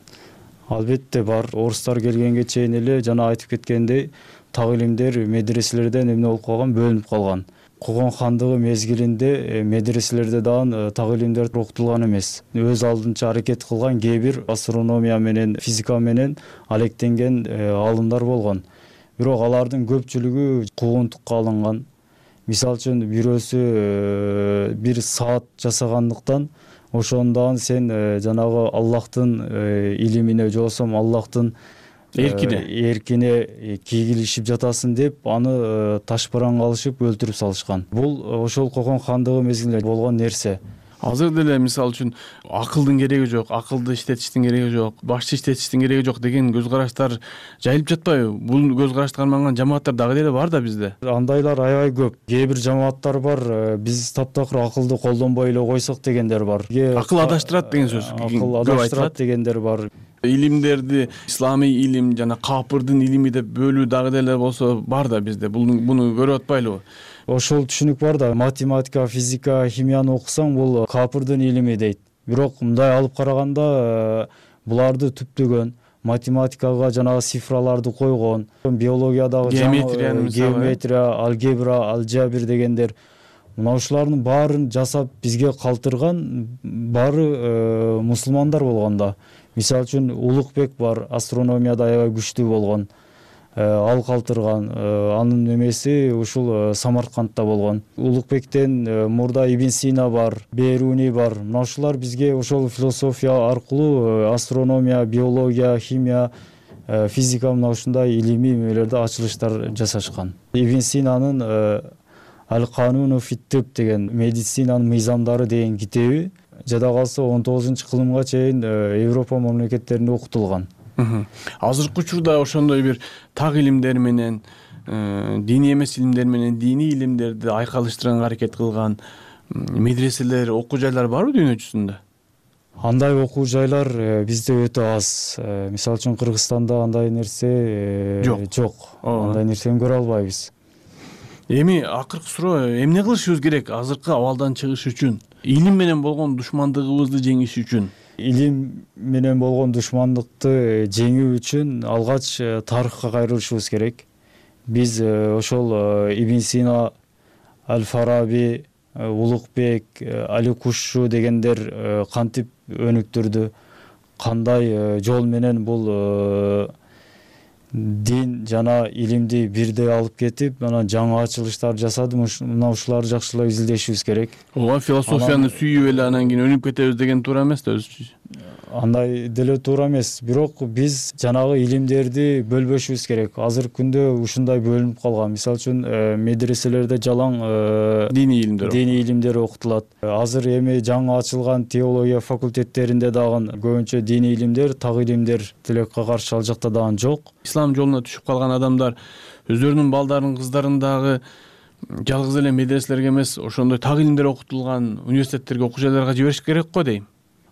Албетте бар. Орустар келгенге чейин эле жана айтып кеткендей, так илимдер медреселерден эмне болуп калган, бөлүнүп калган. Когон хандыгы мезгилинде медреселерде дагы так илимдер окутулган эмес. Өз алдынча аракет кылган кээ бир астрономия менен физика менен алектенген аалымдар болгон. Бирок алардын көпчүлүгү куугунтукка алынган. Мисалы үчүн бирөөсү бир саат жасагандыктан ошондон сен жанагы Аллахтын илимине же болбосо Аллахтын эркине кийгилишип жатасың деп аны ташбараңга алышып өлтүрүп салышкан. Бул ошол Когон хандыгы мезгилинде болгон нерсе. Азыр деле мисалы үчүн акылдын кереги жок, акылды иштетиштин кереги жок, башчы иштетиштин кереги жок деген көз караштар жайылып жатпайбы? Бул көз карашты карманган жамааттар дагы деле бар да бизде. Андайлар аябай көп. Кээ бир жамааттар бар, биз таптакыр акылды колдонбой эле койсок дегендер бар. Акыл адаштырат деген сөз. Акыл адаштырат дегендер бар. Илимдерди исламий илим жана капырдын илими деп бөлүү дагы деле болсо бар да бизде. Буну көрүп атпайлыбы? Ошол түшүнүк бар да, математика, физика, химияны окусаң бул капырдын илими дейт. Бирок мындай алып караганда буларды түптөгөн, математикага жанагы цифраларды койгон, биологиядагы геометрия, алгебра, алжабир дегендер, мына ушулардын баарын жасап бизге калтырган баары мусулмандар болгондо. Мисалы үчүн Улукбек бар, астрономияда аябай күчтүү болгон. Ал калтырган, анын немеси ушул Самаркандта болгон. Улукбектен мурда Ибн Сина бар, Беруни бар. Мына ушулар бизге ошол философия аркылуу астрономия, биология, химия, физика мына ушундай илимий эмелерде ачылыштар жасашкан. Ибн Синанын Ал-Кануну фит-тиб деген медицинанын мыйзамдары деген китеби жада калса 19-кылымга чейин Европа мамлекеттеринде окутулган. Азыркы учурда ошондой бир так илимдер менен диний эмес илимдер менен диний илимдерди айкалыштырганга аракет кылган медреселер, окуу жайлар барбы дүйнө жүзүндө? Андай окуу жайлар бизде өтө аз. Мисалы үчүн Кыргызстанда андай нерсе жок. Андай нерсени көрө албайбыз. Эми акыркы суроо, эмне кылышыбыз керек азыркы абалдан чыгыш үчүн? Илим менен болгон душмандыгыбызды жеңиш үчүн? Илим менен болгон душмандыкты жеңүү үчүн алгач тарыхка кайрылышыбыз керек. Биз ошол Ибн Сина, Аль-Фараби, Улукбек, Али Кушшу дегендер кантип өнүктүрдү, кандай жол менен бул дин жана илимди бирдей алып кетип, анан жаңы ачылыштар жасады. Мына ушуларды жакшылап изилдешибиз керек. Ооба, философияны сүйүп эле анан кийин өнүп кетебиз деген туура эмес да өзүчү. Андай деле туура эмес. Бирок биз жанагы илимдерди бөлбөшүбүз керек. Азыркы күндө ушундай бөлүнүп калган. Мисалы үчүн медреселерде жалаң диний илимдер окутулат. Азыр эми жаңы ачылган теология факультеттеринде дагы көбүнчө диний илимдер, так илимдер тилекке каршы ал жакта дагы жок. Ислам жолуна түшүп калган адамдар өздөрүнүн балдарын, кыздарын дагы жалгыз эле медреселерге эмес, ошондой так илимдер окутулган университеттерге, окуу жайларга жибериш керек го дейм.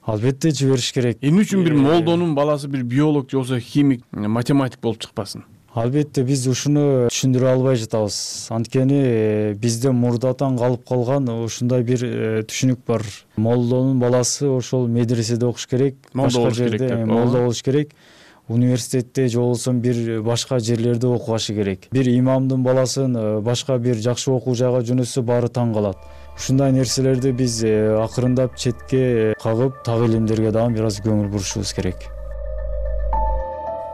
Албетте жибериш керек. Эмне үчүн бир молдонун баласы бир биолог же болбосо химик, математик болуп чыкпасын? Албетте биз ушуну түшүндүрө албай жатабыз. Анткени бизде мурдатан калып калган ушундай бир түшүнүк бар. Молдонун баласы ошол медреседе окуш керек, башка жерде молдо болуш керек. Университетте же болбосо бир башка жерлерде окугашы керек. Бир имамдын баласын башка бир жакшы окуу жайга жөнөтсө баары таң калат. Ушундай нерселерди биз акырындап четке кагып, так илимдерге дагы бир аз көңүл бурушубуз керек.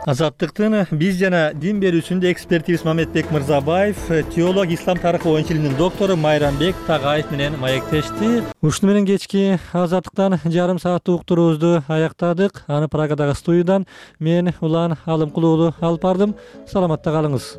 Азаттыктын биз жана дин берүүсүндө экспертибиз Мамедбек Мырзабаев, теолог, ислам тарыхы боюнча илимдин доктору Майрамбек Тагаев менен маектешти. Ушуну менен кечки Азаттыктан жарым сааттык уктуруубузду аяктадык. Аны Прагадагы студиядан мен Улан Алымкулуу уулу алып бардым. Саламатта калыңыз.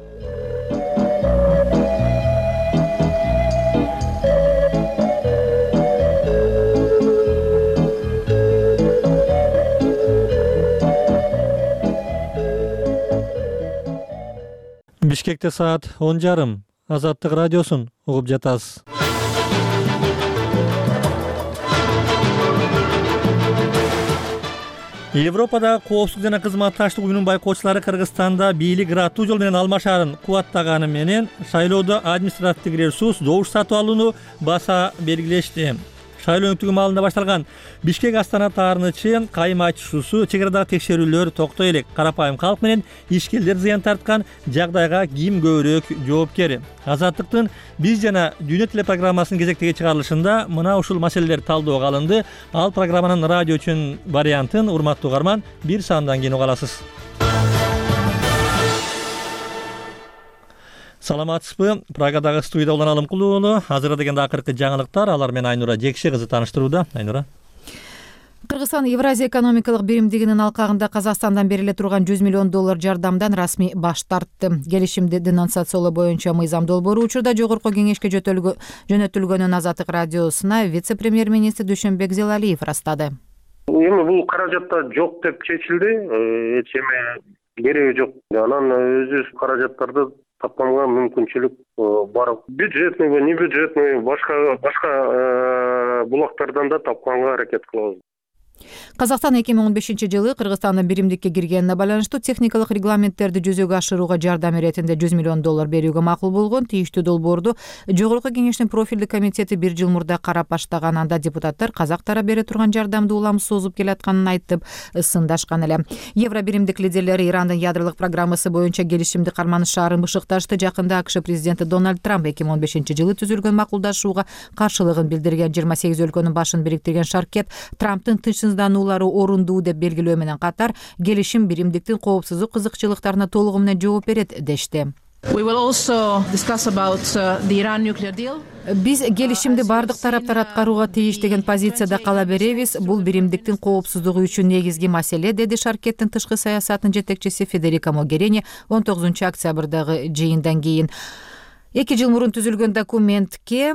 Бишкекте саат 10:30. Азаттык радиосун угуп жатасыз. Европада коопсуздук жана кызматташтык уюмунун байкоочулары Кыргызстанда бийлик ыраттуу жол менен алмашаарын кубаттаганы менен шайлоодо административдик ресурс добуш сатып алууну баса белгилешти. Шайлоо өткөрүү маалында башталган Бишкек Астана таарынычы кайым айтышуусу чек арадагы текшерүүлөр токтой элек. Карапайым калк менен ишкерлер зыян тарткан жагдайга ким көбүрөөк жоопкер? Азаттыктын биз жана Дүйнө телепрограммасынын кезектеги чыгарылышында мына ушул маселелер талдоого алынды. Ал программанын радио үчүн вариантын урматтуу угарман бир саамдан кийин уга аласыз. Саламатсызбы? Прагадагы студияда Улан Алымкулуу уулу. Азырда дегенде акыркы жаңылыктар. Алар менен Айнура Жекше кызы тааныштырууда. Айнура. Кыргызстан Евразия экономикалык биримдигинин алкагында Казакстандан бериле турган $100 миллион жардамдан расмий баш тартты. Келишимди денонсациялоо боюнча мыйзам долбоору учурда жогорку кеңешке жөнөтүлгөнүн Азаттык радиосуна вице-премьер-министр Дүйшөнбек Зелалиев ырастады. Эми бул каражатта жок деп чечилди. Эч эме кереги жок. Анан өзүбүз каражаттарды тапканга мүмкүнчүлүк бар. Бюджетный, не бюджетный, башка булактардан да тапканга аракет кылабыз. Казакстан 2015-жылы Кыргызстандын биримдикке киргенине байланыштуу техникалык регламенттерди жүзөгө ашырууга жардам иретинде $100 миллион берүүгө макул болгон. Тийиштүү долбоорду жогорку кеңештин профилдик комитети 1 жыл мурда карап баштаган. Анда депутаттар казак тарап бере турган жардамды улам созуп келатканын айтып сындашкан эле. Евро биримдик лидерлери Ирандын ядролук программасы боюнча келишимди карманышаарын бышыкташты. Жакында АКШ президенти Дональд Трамп 2015-жылы түзүлгөн макулдашууга каршылыгын билдирген. 28 өлкөнүн башын бириктирген шаркет Трамптын тынчсыздануулары орундуу деп белгилөө менен катар келишим биримдиктин коопсуздук кызыкчылыктарына толугу менен жооп берет дешти. Биз келишимди бардык тараптар аткарууга тийиш деген позицияда кала беребиз. Бул биримдиктин коопсуздугу үчүн негизги маселе, деди шаркеттин тышкы саясатынын жетекчиси Федерика Могерини 19 октябрдагы жыйындан кийин. 2 жыл мурун түзүлгөн документке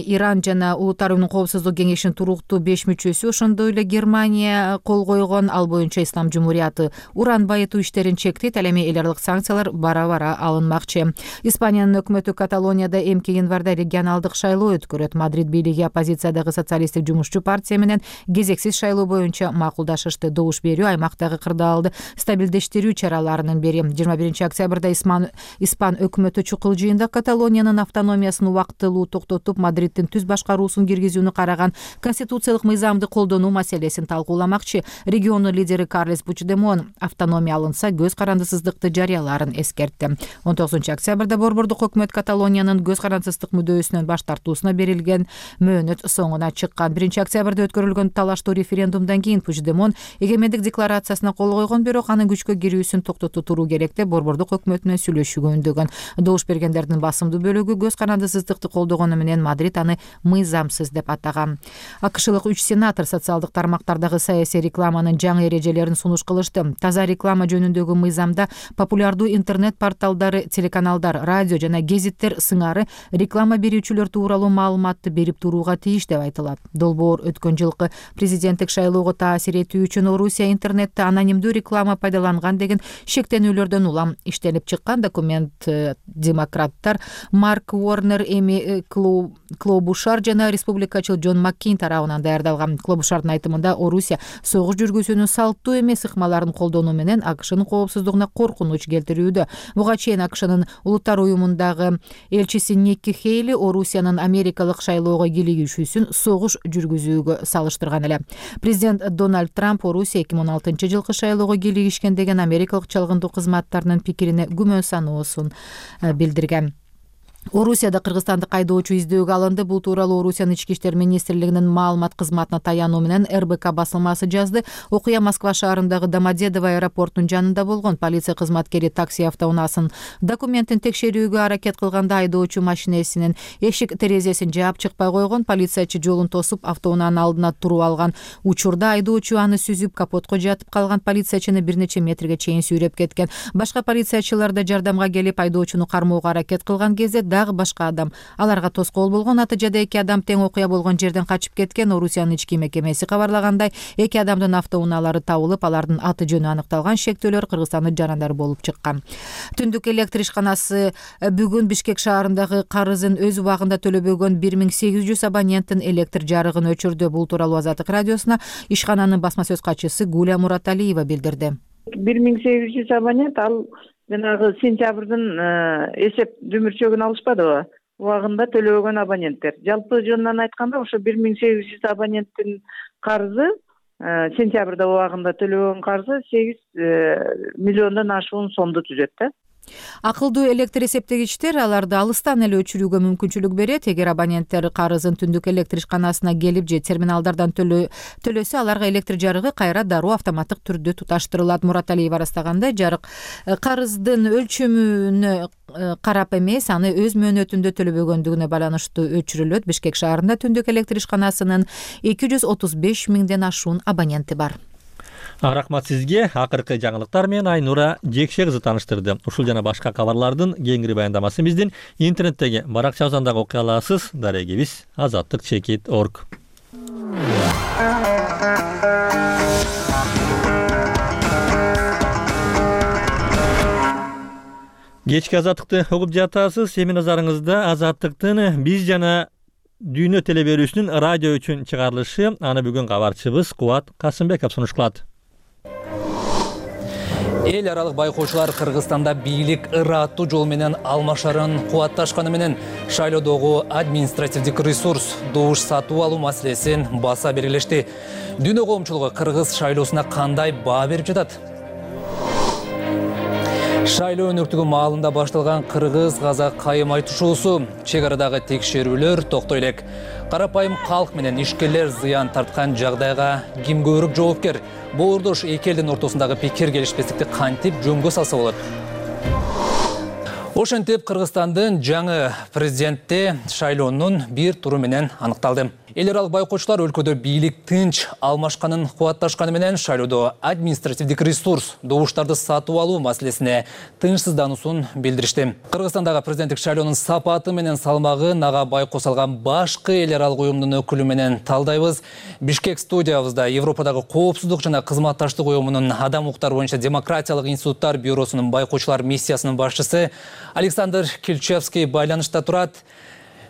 Иран жана Улуттар уюмунун коопсуздук кеңешинин туруктуу 5 мүчөсү, ошондой эле Германия кол койгон. Ал боюнча Ислам Жумурияты уран байытуу иштерин чектейт. Ал эми эл аралык санкциялар бара-бара алынмакчы. Испаниянын өкмөтү Каталонияда эмки январда регионалдык шайлоо өткөрөт. Мадрид бийлиги оппозициядагы социалисттик жумушчу партия менен кезексиз шайлоо боюнча макулдашышты. Добуш берүү аймактагы кырдаалды стабилдештирүү чараларынын бири. 21 октябрда Испан өкмөтү чукул жыйында Каталониянын автономиясын убактылуу токтотуп, Мадриддин түз башкаруусун киргизүүнү караган конституциялык мыйзамды колдонуу маселесин талкууламакчы. Региондун лидери Карлес Пучдемон автономия алынса көз карандысыздыкты жарыялаарын эскертти. 19 октябрда борбордук өкмөт Каталониянын көз карандысыздык мүдөөсүнөн баш тартуусуна берилген мөөнөт соңуна чыккан. 1 октябрда өткөрүлгөн талаштуу референдумдан кийин Пучдемон эгемендик декларациясына кол койгон, бирок анын күчкө кирүүсүн токтотуу туруу керек деп борбордук өкмөт менен сүйлөшүүгө үндөгөн. Добуш бергендердин басымдуу бөлүгү көз карандысыздыкты колдогону менен Мадрид аны мыйзамсыз деп атаган. АКШлык 3 сенатор социалдык тармактардагы саясий рекламанын жаңы эрежелерин сунуш кылышты. Таза реклама жөнүндөгү мыйзамда популярдуу интернет порталдары, телеканалдар, радио жана гезиттер сыңары реклама берүүчүлөр тууралуу маалыматты берип турууга тийиш деп айтылат. Долбоор өткөн жылкы президенттик шайлоого таасир этүү үчүн Орусия интернетте анонимдүү реклама пайдаланган деген шектенүүлөрдөн улам иштелип чыккан. Документ демократтар Марк Уорнер, Эми Клобушар жана республикачыл Джон Маккейн тарабынан даярдалган. Клобушардын айтымында Орусия согуш жүргүзүүнүн салттуу эмес ыкмаларын колдонуу менен АКШнын коопсуздугуна коркунуч келтирүүдө. Буга чейин АКШнын Улуттар уюмундагы элчиси Никки Хейли Орусиянын америкалык шайлоого кийлигишүүсүн согуш жүргүзүүгө салыштырган эле. Президент Дональд Трамп Орусия 2006-жылкы шайлоого кийлигишкен деген америкалык чалгындуу кызматтарынын пикирине күмөн саноосун билдирген. Орусияда кыргызстандык айдоочу издөөгө алынды. Бул тууралуу Орусиянын ички иштер министрлигинин маалымат кызматына таянуу менен РБК басылмасы жазды. Окуя Москва шаарындагы Домодедово аэропортунун жанында болгон. Полиция кызматкери такси автоунаасын документин текшерүүгө аракет кылганда айдоочу машинесинин эшик терезесин жаап чыкпай койгон. Полициячы жолун тосуп автоунаанын алдына туруп алган. Учурда айдоочу аны сүзүп капотко жатып калган. Полициячыны бир нече метрге чейин сүйрөп кеткен. Башка полициячылар да жардамга келип айдоочуну кармоого аракет кылган кезде дагы башка адам аларга тоскоол болгон. Натыйжада 2 адам тең окуя болгон жерден качып кеткен. Орусиянын ички мекемеси кабарлагандай, 2 адамдын автоунаалары табылып, алардын аты жөнү аныкталган. Шектөөлөр Кыргызстандын жарандары болуп чыккан. Түндүк электр ишканасы бүгүн Бишкек шаарындагы карызын өз убагында төлөбөгөн 1800 абоненттин электр жарыгын өчүрдү. Бул тууралуу Азаттык радиосуна ишкананын басма сөз катчысы Гуля Мураталиева билдирди. 1800 абонент ал жанагы сентябрдын эсеп дүмүрчөгүн алышпадыбы? Убагында төлөбөгөн абоненттер. Жалпы жөнүнөн айтканда ошо 1800 абоненттин карызы сентябрда убагында төлөбөгөн карызы 8 миллиондон ашуун сомду түзөт да. Акылдуу электр эсептегичтер аларды алыстан эле өчүрүүгө мүмкүнчүлүк берет. Эгер абоненттер карызын түндүк электр ишканасына келип же терминалдардан төлөсө, аларга электр жарыгы кайра дароо автоматтык түрдө туташтырылат. Мураталиева ырастагандай, жарык карыздын өлчөмүнө карап эмес, аны өз мөөнөтүндө төлөбөгөндүгүнө байланыштуу өчүрүлөт. Бишкек шаарында түндүк электр ишканасынын 235 миңден ашуун абоненти бар. Рахмат сизге. Акыркы жаңылыктар менен Айнура Жекшегизди тааныштырды. Ушул жана башка кабарлардын кеңири баяндамасын биздин интернеттеги баракчабыздан дагы окуй аласыз. Дарегибиз azattik.org. Кечки Азаттыкты угуп жатасыз. Эми назарыңызда Азаттыктын биз жана дүйнө телеберүүсүнүн радио үчүн чыгарылышы. Аны бүгүн кабарчыбыз Кубат Касымбеков сунуш кылат. Эл аралык байкоочулар Кыргызстанда бийлик ыраттуу жол менен алмашарын кубатташканы менен шайлоодогу административдик ресурс добуш сатып алуу маселесин баса белгилешти. Дүйнө коомчулугу кыргыз шайлоосуна кандай баа берип жатат? Шайлоо өнөктүгү маалында башталган кыргыз-казак кайым айтышуусу, чек арадагы текшерүүлөр токтой элек. Карапайым калк менен ишкерлер зыян тарткан жагдайга ким көбүрөөк жоопкер? Боордош эки элдин ортосундагы пикир келишпестикти кантип жөнгө салса болот? Ошентип Кыргызстандын жаңы президенти шайлоонун бир туру менен аныкталды. Эл аралык байкоочулар өлкөдө бийлик тынч алмашканын кубатташканы менен шайлоодо административдик ресурс добуштарды сатып алуу маселесине тынчсыздануусун билдиришти. Кыргызстандагы президенттик шайлоонун сапаты менен салмагы нага байкоо салган башкы эл аралык уюмдун өкүлү менен талдайбыз. Бишкек студиябызда Европадагы коопсуздук жана кызматташтык уюмунун адам укуктары боюнча демократиялык институттар бюросунун байкоочулар миссиясынын башчысы Александр Кильчевский байланышта турат.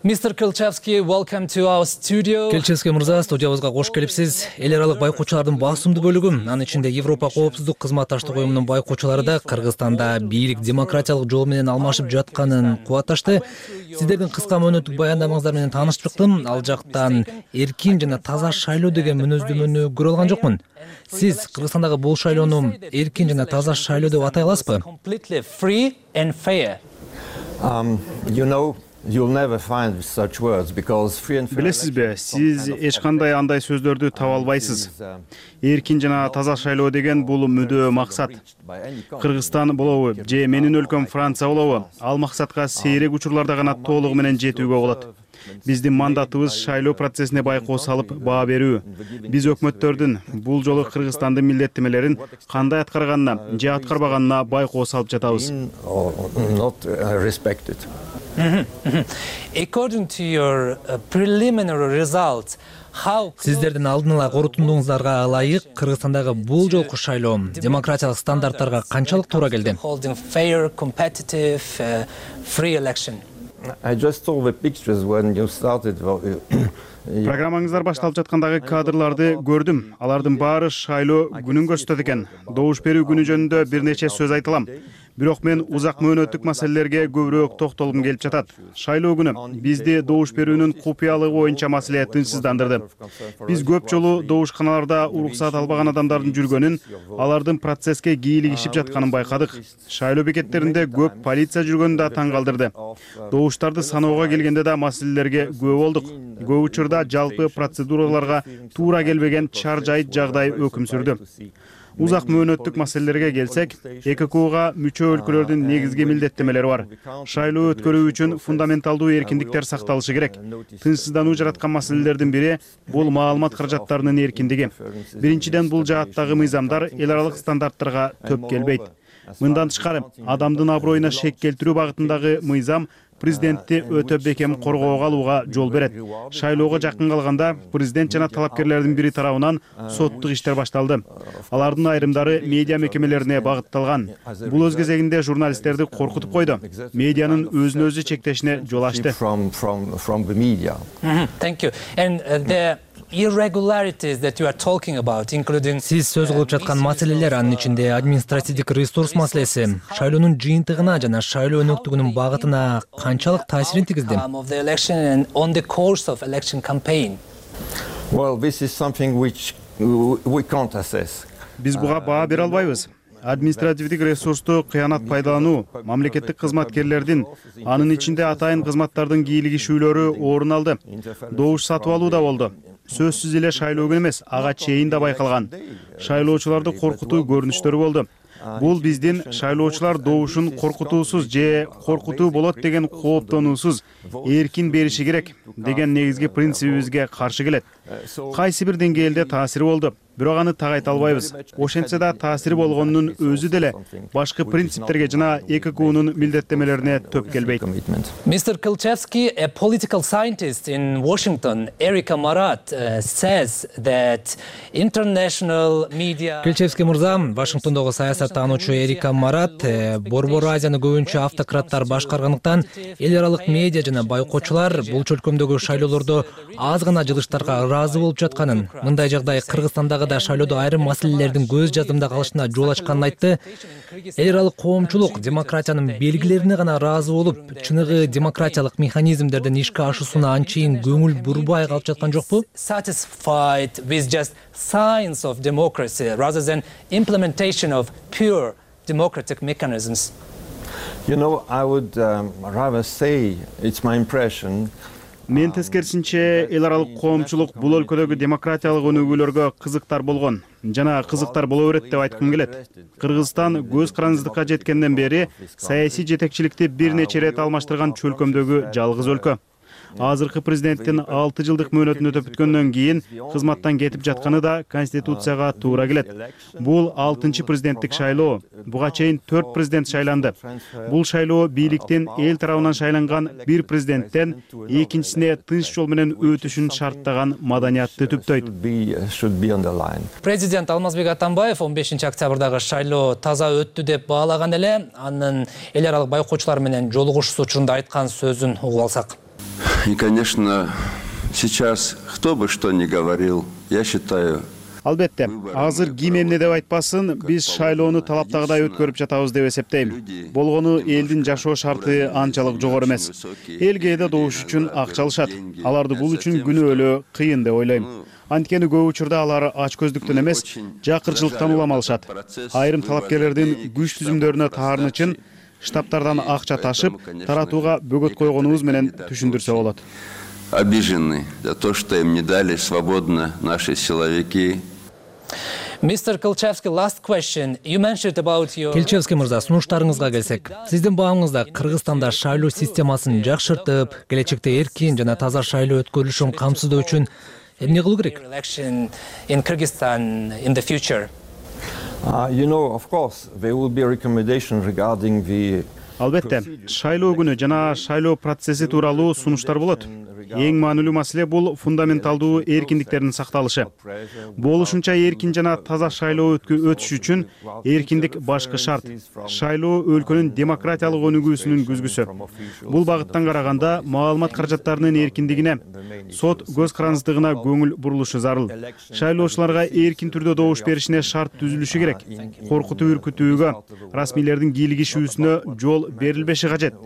Mr. Kilchevsky, welcome to our studio. Kilchevsky мырза, студиябызга кош келипсиз. Эл аралык байкоочулардын басымдуу бөлүгү, анын ичинде Европа коопсуздук кызматташтык уюмунун байкоочулары да Кыргызстанда бийлик демократиялык жол менен алмашып жатканын кубатташты. Сиздердин кыска мөөнөттүк баяндамаңыздар менен таанышып чыктым. Ал жактан эркин жана таза шайлоо деген мүнөздөмөнү көрө алган жокмун. Сиз Кыргызстандагы бул шайлоону эркин жана таза шайлоо деп атай аласызбы? Completely free and fair. Билесизби, сиз эч кандай андай сөздөрдү таба албайсыз. Эркин жана таза шайлоо деген бул мүдөө максат. Кыргызстан болобу же менин өлкөм Франция болобу, ал максатка сейрек учурларда гана толугу менен жетүүгө болот. Биздин мандатыбыз шайлоо процессине байкоо салып баа берүү. Биз өкмөттөрдүн бул жолу Кыргызстандын милдеттемелерин кандай аткарганына же аткарбаганына байкоо салып жатабыз. According to your preliminary results, Сиздердин алдын ала корутундуңуздарга ылайык Кыргызстандагы бул жолку шайлоо демократиялык стандарттарга канчалык туура келди? Holding fair, competitive, free election. I just saw the pictures when you started Программаңыздар башталып жаткандагы кадрларды көрдүм. Алардын баары шайлоо күнүн көрсөтөт экен. Добуш берүү күнү жөнүндө бир нече сөз айтылам. Бирок мен узак мөөнөттүк маселелерге көбүрөөк токтолгум келип жатат. Шайлоо күнү бизди добуш берүүнүн купуялыгы боюнча маселе тынчсыздандырды. Биз көп жолу добушканаларда уруксаат албаган адамдардын жүргөнүн, алардын процесске кийлигишип жатканын байкадык. Шайлоо бекеттеринде көп полиция жүргөнү да таң калтырды. Добуштарды саноого келгенде да маселелерге күбө болдук. Көп учурда жалпы процедураларга туура келбеген чар-жайыт жагдай өкүм сүрдү. Узак мөөнөттүк маселелерге келсек, ЭККУга мүчө өлкөлөрдүн негизги милдеттемелери бар. Шайлоо өткөрүү үчүн фундаменталдуу эркиндиктер сакталышы керек. Тынчсыздануу жараткан маселелердин бири бул маалымат каражаттарынын эркиндиги. Биринчиден, бул жааттагы мыйзамдар эл аралык стандарттарга төп келбейт. Мындан тышкары, адамдын аброюна шек келтирүү багытындагы мыйзам президентти өтө бекем коргоого алууга жол берет. Шайлоого жакын калганда президент жана талапкерлердин бири тарабынан соттук иштер башталды. Алардын айрымдары медиа мекемелерине багытталган. Бул өз кезегинде журналисттерди коркутуп койду. Медианын өзүн өзү чектешине жол ачты. Сиз сөз кылып жаткан маселелер, анын ичинде административдик ресурс маселеси, шайлоонун жыйынтыгына жана шайлоо өнөктүгүнүн багытына канчалык таасирин тийгизди? Биз буга баа бере албайбыз. Административдик ресурсту кыянат пайдалануу, мамлекеттик кызматкерлердин, анын ичинде атайын кызматтардын кийлигишүүлөрү орун алды. Добуш сатып алуу да болду. Сөзсүз эле шайлоо күнү эмес, ага чейин да байкалган. Шайлоочуларды коркутуу көрүнүштөрү болду. Бул биздин шайлоочулар добушун коркутуусуз же коркутуу болот деген кооптонуусуз эркин бериши керек деген негизги принцибибизге каршы келет. Кайсы бир деңгээлде таасири болду, бирок аны так айта албайбыз. Ошентсе да таасири болгонунун өзү деле башкы принциптерге жана ЭККУнун милдеттемелерине төп келбейт. Mr. Kilchevsky, a political scientist in Washington, Erika Marat, says that international media... Kilchevsky мырза, Вашингтондогу саясаттануучу Эрика Марат, Борбор Азияны көбүнчө автократтар башкаргандыктан эл аралык медиа жана байкоочулар бул чөлкөмдөгү шайлоолордо аз гана жылыштарга ыраазы болуп жатканын, мындай жагдай Кыргызстандагы да шайлоодо айрым маселелердин көз жаздымда калышына жол ачканын айтты. Эл аралык коомчулук демократиянын белгилерине гана ыраазы болуп, чыныгы демократиялык механизмдердин ишке ашуусуна анчейин көңүл бурбай калып жаткан жокпу? Satisfied with just signs of democracy rather than implementation of pure democratic mechanisms. I would rather say it's my impression. Мен тескерисинче эл аралык коомчулук бул өлкөдөгү демократиялык өнүгүүлөргө кызыктар болгон жана кызыктар боло берет деп айткым келет. Кыргызстан көз карандыздыкка жеткенден бери саясий жетекчиликти бир нече ирет алмаштырган чөлкөмдөгү жалгыз өлкө. Азыркы президенттин 6 жылдык мөөнөтүн өтөп бүткөндөн кийин кызматтан кетип жатканы да Конституцияга туура келет. Бул 6-чы президенттик шайлоо. Буга чейин 4 президент шайланды. Бул шайлоо бийликтин эл тарабынан шайланган бир президенттен экинчисине тынч жол менен өтүшүн шарттаган маданиятты түптөйт. Президент Алмазбек Атамбаев 15 октябрдагы шайлоо таза өттү деп баалаган эле, анын эл аралык байкоочулар менен жолугушуу учурунда айткан сөзүн угуп алсак. И, конечно, сейчас кто бы что ни говорил, я считаю... Албетте, азыр ким эмне деп айтпасын, биз шайлоону талаптагыдай өткөрүп жатабыз деп эсептейм. Болгону элдин жашоо шарты анчалык жогору эмес. Эл кээде добуш үчүн акча алышат. Аларды бул үчүн күнөөлөө кыйын деп ойлойм. Анткени көп учурда алар ач көздүктөн эмес, жакырчылыктан улам алышат. Айрым талапкерлердин күч түзүмдөрүнө таарын үчүн штабтардан акча ташып, таратууга бөгөт койгонубуз менен түшүндүрсө болот. Обижены за то, что им не дали свободно наши силовики. Mr. Kilchevsky, last question. You mentioned about your... Kilchevsky мырза, сунуштарыңызга келсек, сиздин баамыңызда Кыргызстанда шайлоо системасын жакшыртып, келечекте эркин жана таза шайлоо өткөрүлүшүн камсыздоо үчүн эмне кылуу керек? In Kyrgyzstan in the future. Of course, there will be a recommendation regarding the Албетте, шайлоо күнү жана шайлоо процесси тууралуу сунуштар болот. Эң маанилүү маселе бул фундаменталдуу эркиндиктердин сакталышы. Болушунча эркин жана таза шайлоо өтүш үчүн эркиндик башкы шарт. Шайлоо өлкөнүн демократиялык өнүгүүсүнүн күзгүсү. Бул багыттан караганда маалымат каражаттарынын эркиндигине, сот көз карандысыздыгына көңүл бурулушу зарыл. Шайлоочуларга эркин түрдө добуш беришине шарт түзүлүшү керек. Коркутуп үркүтүүгө, расмийлердин кийлигишүүсүнө жол берилбеши кажет.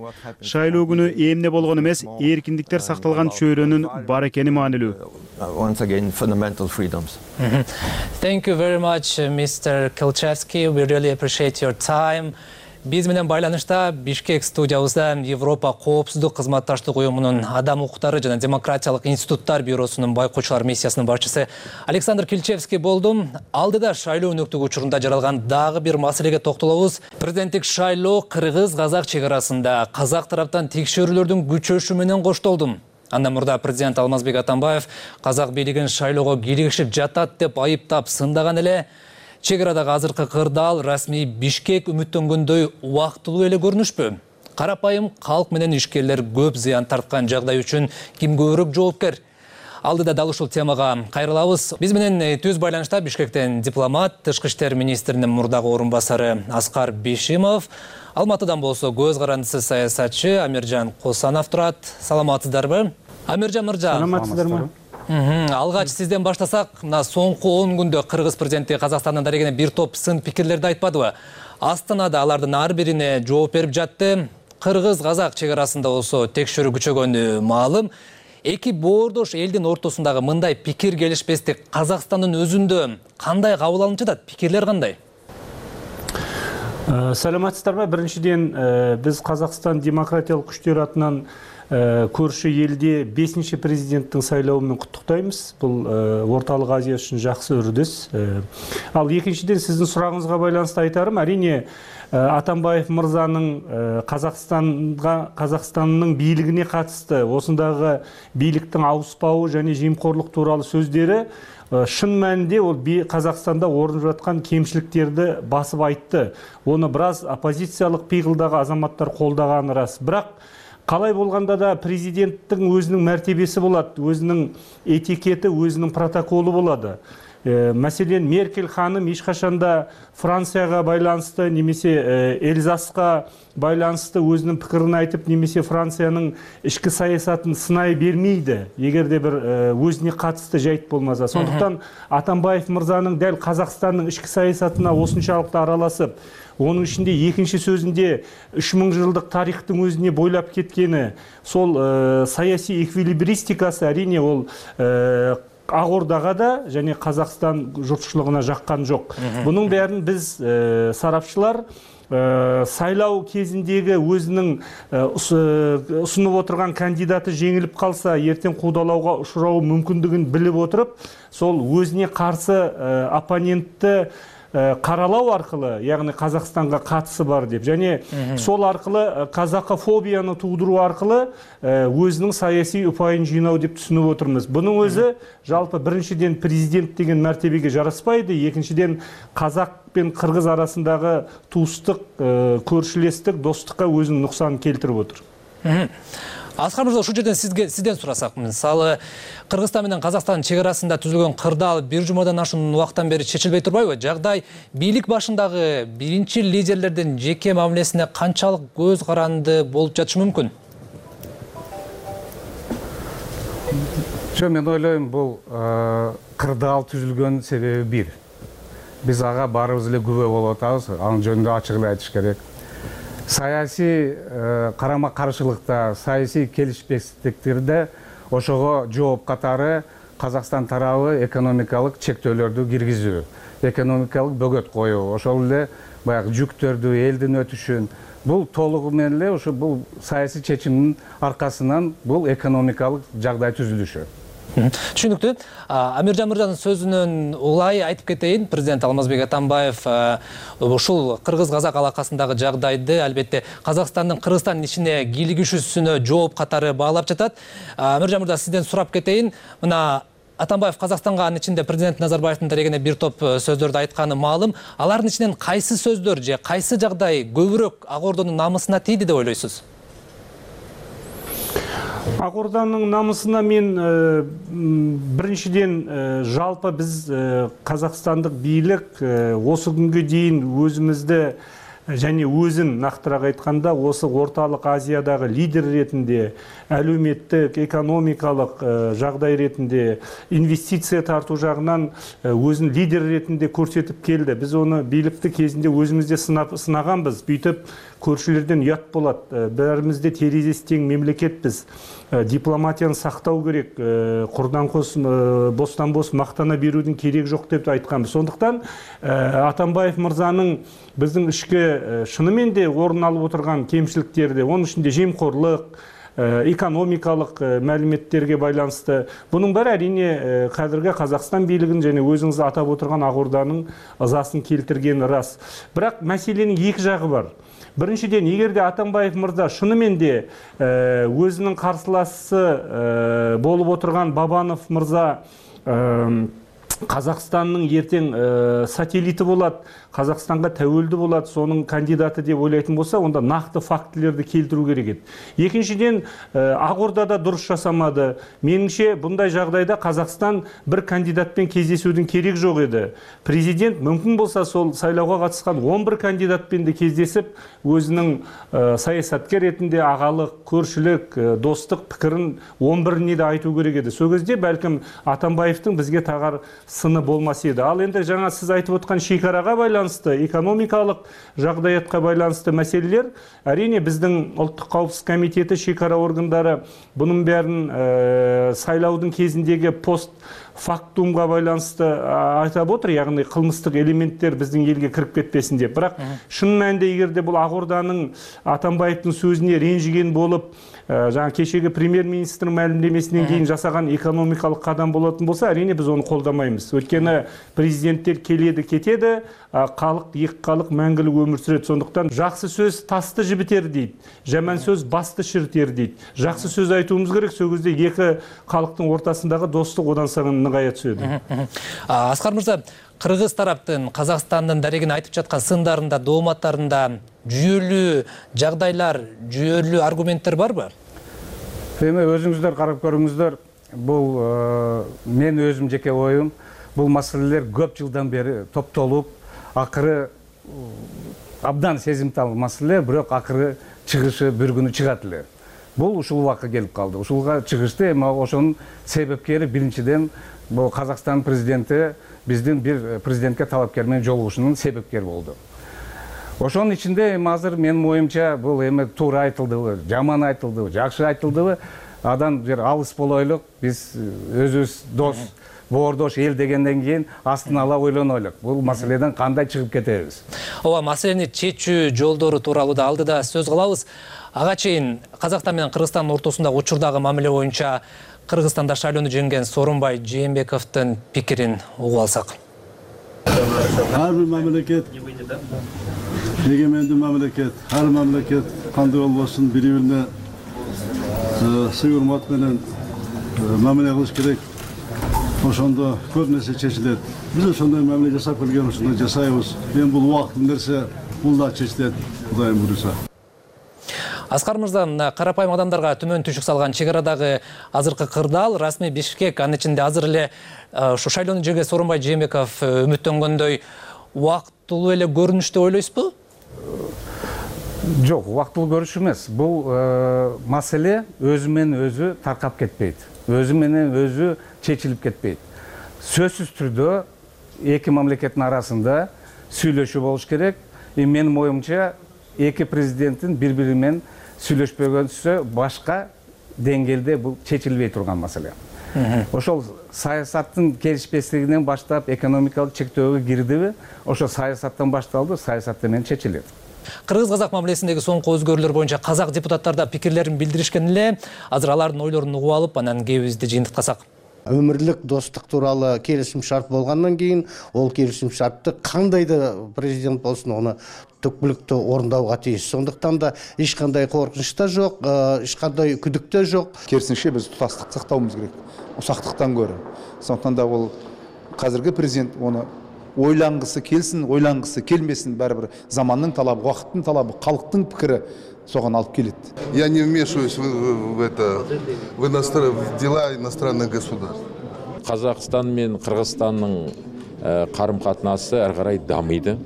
Шайлоо күнү эмне болгон эмес, эркиндиктер сакталган чөйрөнүн бар экени маанилүү. Thank you very much, Mr. Kilchevsky. We really appreciate your time. Биз менен байланышта Бишкек студиябызда Европа коопсуздук кызматташтык уюмунун Адам укуктары жана демократиялык институттар бюросунун байкоочулар миссиясынын башчысы Александр Kilchevsky болду. Алдыда шайлоо өнөктүгү учурунда жаралган дагы бир маселеге токтолобуз. Президенттик шайлоо кыргыз-казак чек арасында казак тараптан текшерүүлөрдүн күчөшү менен коштолду. Андан мурда президент Алмазбек Атамбаев казак бийлигин шайлоого кийлигишип жатат деп айыптап сындаган эле. Чек арадагы азыркы кырдаал расмий Бишкек үмүттөнгөндөй убактылуу эле көрүнүшпү? Карапайым калк менен ишкерлер көп зыян тарткан жагдай үчүн ким көбүрөөк жоопкер? Алдыда дал ушул темага кайрылабыз. Биз менен түз байланышта Бишкектен дипломат, тышкы иштер министринин мурдагы орун басары Аскар Бишимов, Алматыдан болсо көз карандысы саясатчы Амиржан Косанов турат. Саламатсыздарбы? Амиржан мырза. Саламатсыздарбы? Алгач сизден баштасак, мына соңку 10 күндө Кыргыз президенти Казакстандын дарегине бир топ сын пикирлерди айтпадыбы? Астанада алардын ар бирине жооп берип жатты. Кыргыз-казак чек арасында болсо текшерүү күчөгөнү маалым. Эки боордош элдин ортосундагы мындай пикир келишпестик Казакстандын өзүндө кандай кабыл алынып жатат? Пикирлер кандай? Саламатсыздарбы? Биринчиден, биз Казакстан демократиялык күчтөр атынан көрші елде 5-ші президенттің сайлауымен құттықтаймыз. Бұл орталық Азия үшін жақсы үрдіс. Ал екіншіден сіздің сұрағыңызға байланысты айтарым, әрине Атамбаев мырзаның Қазақстанның бийлигине қатысты осындағы бийликтің ауыспауы және жемқорлық туралы сөздері шын мәнінде ол Қазақстанда орын жатқан кемшіліктерді басып айтты. Оны біраз оппозициялық пиғылдағы азаматтар қолдаған рас. Бірақ қалай болғанда да президенттің өзінің мәртебесі болады, өзінің этикеті, өзінің протоколы болады. Мәселен, Меркель ханым ешқашанда Францияға байланысты, немесе Эльзасқа байланысты өзінің пікірін айтып, немесе Францияның ішкі саясатын сынай бермейді, егер де бір өзіне қатысты жайт болмаса. Сондықтан Атамбаев мырзаның дәл Қазақстанның ішкі саясатына осыншалықты араласып, оның ішінде екінші сөзінде 3000 жылдық тарихтың өзіне бойлап кеткені, сол саяси эквилибристикасы әрине ол Ақордаға да және Қазақстан жұртшылығына жаққан жоқ. Бұның бәрін біз сарапшылар сайлау кезіндегі өзінің ұсынып отырған кандидаты жеңіліп қалса, ертең қудалауға ұшырауы мүмкіндігін біліп отырып, сол өзіне қарсы оппонентті қаралау арқылы, яғни Қазақстанға қатысы бар деп, және сол арқылы казакофобияны тудыру арқылы өзінің саяси ұпайын жинау деп түсініп отырмыз. Бұның өзі жалпы біріншіден президент деген мәртебеге жараспайды, екіншіден қазақ пен қырғыз арасындағы туыстық, көршілестік, достыққа өзінің нұқсан келтіріп отыр. Аскар мырза, ушул жерден сизден сурасак, мисалы Кыргызстан менен Казакстан чек арасында түзүлгөн кырдаал бир жумадан ашуун убакыттан бери чечилбей турбайбы? Жагдай бийлик башындагы биринчи лидерлердин жеке мамилесине канчалык көз каранды болуп жатышы мүмкүн? Мен ойлойм, бул кырдаал түзүлгөн себеби бир. Биз ага баарыбыз эле күбө болуп атабыз, анын жөнүндө ачык эле айтыш керек. Саясий карама-каршылыкта, саясий келишпестиктерде ошого жооп катары Казакстан тарабы экономикалык чектөөлөрдү киргизүү, экономикалык бөгөт коюу, ошол эле баягы жүктөрдү, элдин өтүшүн, бул толугу менен эле ошо бул саясий чечимдин аркасынан бул экономикалык жагдай түзүлүшү. Түшүнүктүү. Амиржан мырзанын сөзүнөн улай айтып кетейин, президент Алмазбек Атамбаев ушул кыргыз-казак алакасындагы жагдайды албетте Казакстандын Кыргызстандын ичине кийлигишүүсүнө жооп катары баалап жатат. Амиржан мырза, сизден сурап кетейин, мына Атамбаев Казакстанга анын ичинде президент Назарбаевдин дарегине бир топ сөздөрдү айтканы маалым. Алардын ичинен кайсы сөздөр же кайсы жагдай көбүрөөк Ак Ордонун намысына тийди деп ойлойсуз? Ак Ордонун намысына мен биринчиден жалпы биз казакстандык бийлик осы күнгө дейин өзүмүздү және өзін нақтырақ айтқанда осы орталық Азиядағы лидер ретінде, әлеуметтік, экономикалық жағдай ретінде, инвестиция тарту жағынан өзін лидер ретінде көрсетіп келді. Біз оны билікті кезінде өзімізде сынағанбыз. Бүйтіп көршілерден ұят болады. Бәрімізде терезесі тең мемлекетпіз. Дипломатияны сақтау керек. Құрдан қос, бостан бос мақтана берудің керек жоқ деп айтқанбыз. Сондықтан Атамбаев мырзаның біздің ішкі шынымен де орын алып отырған кемшіліктерді, оның ішінде жемқорлық, экономикалық мәліметтерге байланысты. Бұның бәрі әрине қазіргі Қазақстан билігін және өзіңіз атап отырған Ак Орданың ызасын келтіргені рас. Бірақ мәселенің екі жағы бар. Біріншіден, егерде Атамбаев мырза шынымен де өзінің қарсыласы болып отырған Бабанов мырза Қазақстанның ертең сателлиті болады, Қазақстанға тәуелді болады, соның кандидаты деп ойлайтын болса, онда нақты фактілерді келтіру керек еді. Екіншіден, Ак Ордада дұрыс жасамады. Меніңше, бұндай жағдайда Қазақстан бір кандидатпен кездесудің керек жоқ еді. Президент мүмкін болса сол сайлауға қатысқан 11 кандидатпен де кездесіп, өзінің саясаткер ретінде ағалық, көршілік, достық пікірін 11-не де айту керек еді. Сол кезде бәлкім Атамбаевтың бізге тағар сыны болмас еді. Ал енді жаңа сіз айтып отқан шекараға байланысты, экономикалық жағдаятқа байланысты мәселелер, әрине біздің ұлттық қауіпсіздік комитеті, шекара органдары бұның бәрін сайлаудың кезіндегі постфактумға байланысты айтып отыр, яғни қылмыстық элементтер біздің елге кіріп кетпесін деп. Бірақ шын мәнінде егерде бұл Ак Орданың Атамбаевтың сөзіне ренжіген болып, жаңа кешегі премьер-министрдің мәлімдемесінен кейін жасаған экономикалық қадам болатын болса, әрине біз оны қолдамаймыз. Өйткені президенттер келеді, кетеді, халық, екі халық мәңгілік өмір сүреді. Сондықтан жақсы сөз тасты жібітер дейді, жаман сөз басты шірітер дейді. Жақсы сөз айтуымыз керек, сол кезде екі халықтың ортасындағы достық одан сайын нығая түседі. Аскар мырза, Кыргыз тараптын Казакстандын дарегине айтып жаткан сындарында, дооматтарында жүйөлүү жагдайлар, жүйөлүү аргументтер барбы? Эми өзүңүздөр карап көрүңүздөр, бул мен өзүм жеке оюм, бул маселелер көп жылдан бери топтолуп, акыры абдан сезимтал маселе, бирок акыры чыгышы бир күнү чыгат эле. Бул ушул убакка келип калды. Ушулга чыгышты эми ошонун себепкери биринчиден бул Казакстан президенти биздин бир президентке талапкер менен жолугушунун себепкери болду. Ошонун ичинде эми азыр менин оюмча бул эми туура айтылдыбы, жаман айтылдыбы, жакшы айтылдыбы, адан бир алыс болойлук, биз өзүбүз дос, боордош эл дегенден кийин астын ала ойлонойлук. Бул маселеден кандай чыгып кетебиз? Ооба, маселени чечүү жолдору тууралуу да алдыда сөз кылабыз. Ага чейин Казакстан менен Кыргызстандын ортосундагы учурдагы мамиле боюнча Кыргызстанда шайлоону жеңген Сооронбай Жээнбековдун пикирин угуп алсак. Ар бир мамлекет, эгемендүү мамлекет, ар мамлекет кандай болбосун бири-бирине сый урмат менен мамиле кылыш керек. Ошондо көп нерсе чечилет. Биз ошондой мамиле жасап келген, ошондой жасайбыз. Эми бул убакыттуу нерсе, бул да чечилет, Кудайым буйруса. Аскар мырза, карапайым адамдарга төмөн түшүк салган чек арадагы азыркы кырдаал, расмий Бишкек, анын ичинде азыр эле ушу шайлоону жеңген Сооронбай Жээнбеков үмүттөнгөндөй убактылуу эле көрүнүш деп ойлойсузбу? Жок, убактылуу көрүш эмес. Бул маселе өзү менен өзү таркап кетпейт. Өзү менен өзү чечилип кетпейт. Сөзсүз түрдө эки мамлекеттин арасында сүйлөшүү болуш керек. Менин оюмча эки президенттин бири-бири менен сүйлөшпөгөнсө башка деңгээлде бул чечилбей турган маселе. Ошол саясаттын келишпестигинен баштап экономикалык чектөөгө кирдиби, ошо саясаттан башталды, саясат менен чечилет. Кыргыз-казак мамилесиндеги соңку өзгөрүүлөр боюнча казак депутаттар да пикирлерин билдиришкен эле. Азыр алардын ойлорун угуп алып, анан кебибизди жыйынтыктасак. өмүрлүк достук тууралуу келишим шарт болгондон кийин ол келишим шартты кандай да президент болсун аны түпкүлүктүү орундауга тийиш. Сондуктан да эч кандай коркунуч да жок, эч кандай күдүк да жок. Керисинче биз тутастыкты сактауыбыз керек, усактыктан көрө. Сондуктан да ол азыркы президент оны ойлангысы келсин, ойлангысы келмесин, баары бир замандын талабы, убакыттын талабы, калктын пикири согон алып келет. Я не вмешиваюсь в дела иностранных государств. Казакстан мен Кыргызстандын карым-катнасы ар карай дамыйды.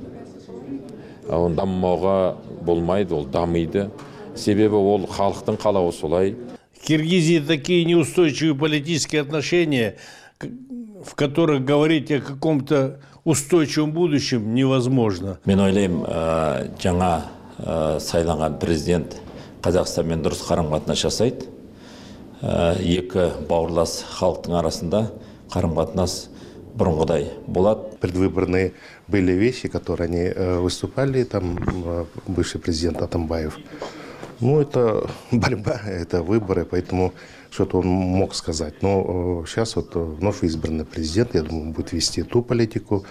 Ол даммауга болмайды, ол дамыйды. Себеби ол халктын калабы солай. В Киргизии такие неустойчивые политические отношения, в которых говорить о каком-то устойчивом будущем невозможно. Мен ойлойм, жаңа сайланган президент Казакстан менен дурус карым-катнаш жасайт. Эки бауырлас халктын арасында карым-катнаш бурунгудай болот. Предвыборные были вещи, которые они выступали, там бывший президент Атамбаев. Ну, это борьба, это выборы, поэтому что-то он мог сказать. Но сейчас вот вновь избранный президент, я думаю, будет вести ту политику,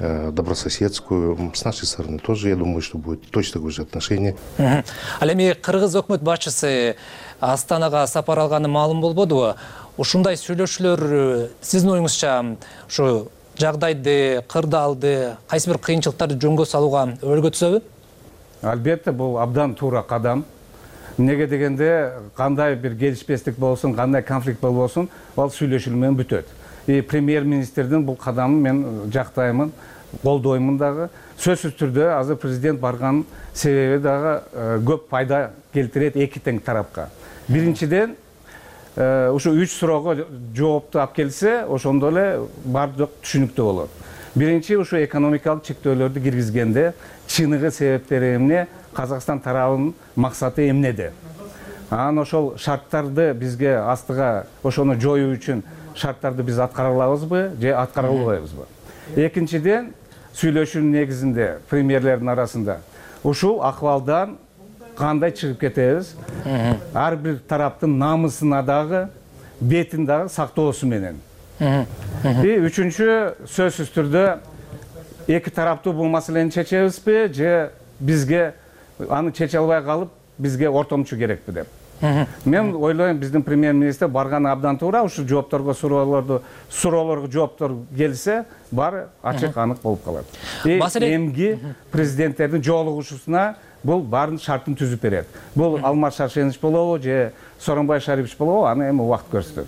добрососедскую. С нашей стороны тоже, я думаю, что будет точно такое же отношение. Ал эми кыргыз өкмөт башчысы Астанага сапар алганы маалым болбодубу? Ушундай сүйлөшүүлөр сиздин оюңузча ушу жагдайды, кырдаалды, кайсы бир кыйынчылыктарды жөнгө салууга өргө түзөбү? Албетте, бул абдан туура кадам. Неге дегенде кандай бир келишпестик болсун, кандай конфликт болбосун, ал сүйлөшүү менен бүтөт. Премьер-министрдин бул кадамын мен жактаймын, колдоймун дагы. Сөзсүз түрдө азыр президент барган себеби дагы көп пайда келтирет эки тең тарапка. Биринчиден, ушу 3 суроого жоопту алып келсе, ошондо эле бардык түшүнүктүү болот. Биринчи, ушу экономикалык чектөөлөрдү киргизгенде чыныгы себептери эмне, Казакстан тарабынын максаты эмнеде? Анан ошол шарттарды бизге астыга ошону жоюу үчүн шарттарды биз аткара алабызбы, же аткара албайбызбы? Экинчиден, сүйлөшүүнүн негизинде премьерлердин арасында ушул акыбалдан кандай чыгып кетебиз? Ар бир тараптын намысына дагы, бетин дагы сактоосу менен. Үчүнчү, сөзсүз түрдө эки тараптуу бул маселени чечебизби, же бизге аны чече албай калып, бизге ортомчу керекпи деп. Мен ойлойм, биздин премьер-министр барганы абдан туура, ушу жоопторго, суроолорго жооптор келсе, баары ачык анык болуп калат. Эмги президенттердин жолугушусуна бул баарын шартын түзүп берет. Бул Алмаз Шаршенович болобу, же Сооронбай Шарипович болобу, аны эми убакыт көрсөтөт.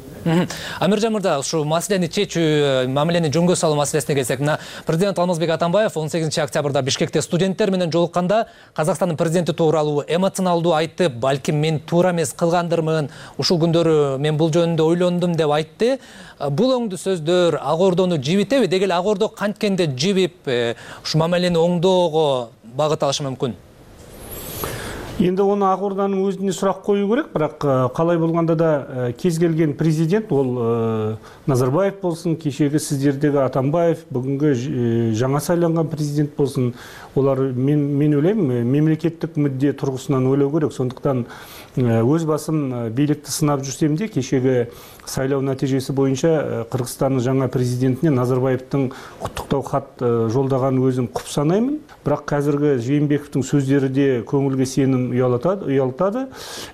Амиржан мырза, ушу маселени чечүү, мамилени жөнгө салуу маселесине келсек, мына президент Алмазбек Атамбаев 18 октябрда Бишкекте студенттер менен жолукканда Казакстандын президенти тууралуу эмоционалдуу айтты, балким мен туура эмес кылгандырмын, ушул күндөрү мен бул жөнүндө ойлондум деп айтты. Бул оңдуу сөздөр Ак Ордону жибитеби? Дегел Ак Ордо канткенде жибип, ушу мамилени оңдоого багыт алышы мүмкүн? Енді оны Ак Орданын өзіне сұрақ қою керек, бірақ қалай болғанда да кез келген президент, ол Назарбаев болсын, кешегі сіздердегі Атамбаев, бүгінгі жаңа сайланған президент болсын, олар мен ойлаймын, мемлекеттік мүдде тұрғысынан ойлау керек. Сондықтан өз басым билікті сынап жүрсем де, кешегі сайлау нәтижесі бойынша Қырғызстанның жаңа президентіне Назарбаевтың құттықтау хат жолдаған өзім құп санаймын. Бірақ қазіргі Жээнбековтің сөздері де көңілге сенім ұялтады.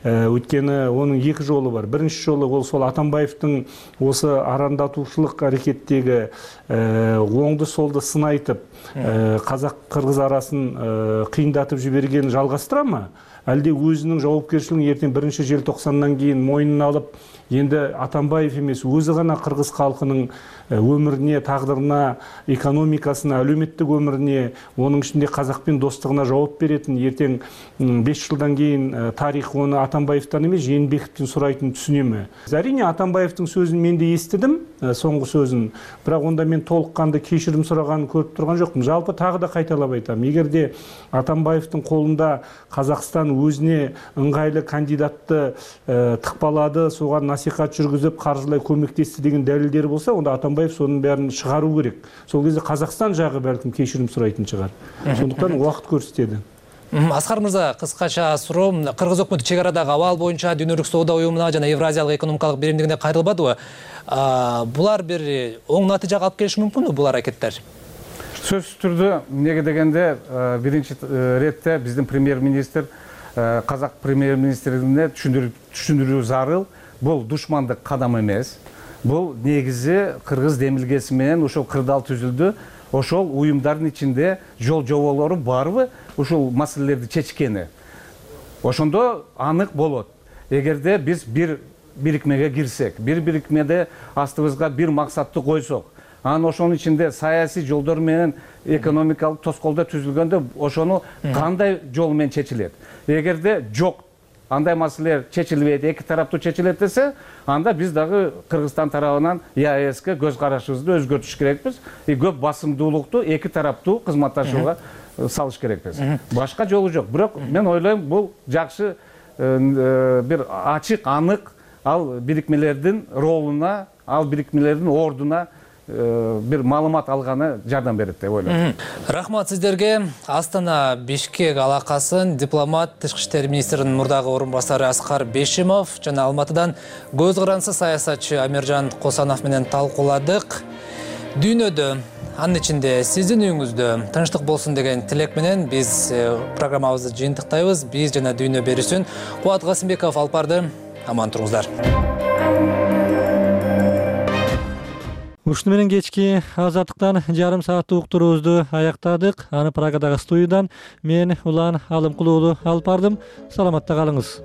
Өйткені оның екі жолы бар. Бірінші жолы ол сол Атамбаевтың осы арандатушылық әрекеттегі оңды солды сын айтып, қазақ-қырғыз арасын қиындатып жіберген жалғастыра ма? Әлде өзінің жауапкершілігін ертең 1 желтоқсаннан кейін мойнына алып, енді Атамбаев емес, өзі ғана қырғыз халқының өміріне, тағдырына, экономикасына, әлеуметтік өміріне, оның ішінде қазақпен достығына жауап беретін, ертең 5 жылдан кейін тарих оны Атамбаевтан емес, Жээнбековтен сұрайтын түсіне ме? Әрине, Атамбаевтың сөзін мен де естідім, соңғы сөзін, бірақ онда мен толыққанды кешірім сұрағанын көріп тұрған жоқпын. Жалпы тағы да қайталап айтамын, егер де Атамбаевтың қолында Қазақстан өзіне ыңғайлы кандидатты тықпалады, соған насихат жүргізіп, қаржылай көмектесті деген дәлелдері болса, онда Атамбаев соның бәрін шығару керек. Сол кезде Қазақстан жағы бәлкім кешірім сұрайтын шығар. Сондықтан уақыт көрсетеді. Аскар мырза, кыскача суроо, Кыргыз өкмөтү чек арадагы абал боюнча Дүйнөлүк соода уюмуна жана Евразиялык экономикалык биримдигине кайрылбадыбы? Булар бир оң натыйжага алып келиши мүмкүнбү бул аракеттер? Сөзсүз түрдө эмнеге дегенде биринчи иретте биздин премьер-министр казак премьер-министрине түшүндүрүү зарыл. Бул душмандык кадам эмес. Бул негизи кыргыз демилгеси менен ошол кырдаал түзүлдү. Ошол уюмдардын ичинде жол жоболору барбы ушул маселелерди чечкени. Ошондо анык болот. Эгерде биз бир бирикмеге кирсек, бир бирикмеде астыбызга бир максатты койсок, анан ошонун ичинде саясий жолдор менен экономикалык тоскоолдор түзүлгөндө ошону кандай жол менен чечилет? Эгерде жок, андай маселелер чечилбейт, эки тараптуу чечилет десе, анда биз дагы Кыргызстан тарабынан ЕАЭСке көз карашыбызды өзгөртүш керекпиз. Көп басымдуулукту эки тараптуу кызматташууга салыш керекпиз. Башка жолу жок. Бирок мен ойлойм, бул жакшы бир ачык, анык ал бирикмелердин ролуна, ал бирикмелердин ордуна бир маалымат алганы жардам берет деп ойлойм. Рахмат сиздерге. Астана Бишкек алакасын дипломат Тышкы иштер министринин мурдагы орун басары Аскар Бешимов жана Алматыдан көз карансыз саясатчы Амиржан Косанов менен талкууладык. Дүйнөдө, анын ичинде сиздин үйүңүздө тынчтык болсун деген тилек менен биз программабызды жыйынтыктайбыз. Биз жана дүйнө берүүсүн Кубат Касымбеков алып барды. Аман туруңуздар. Ушуну менен кечки азаттыктан жарым сааттык уктуруубузду аяктадык. Аны Праgadагы студиядан мен Улан Алымкулуулу алып бардым. Саламатта калыңыз.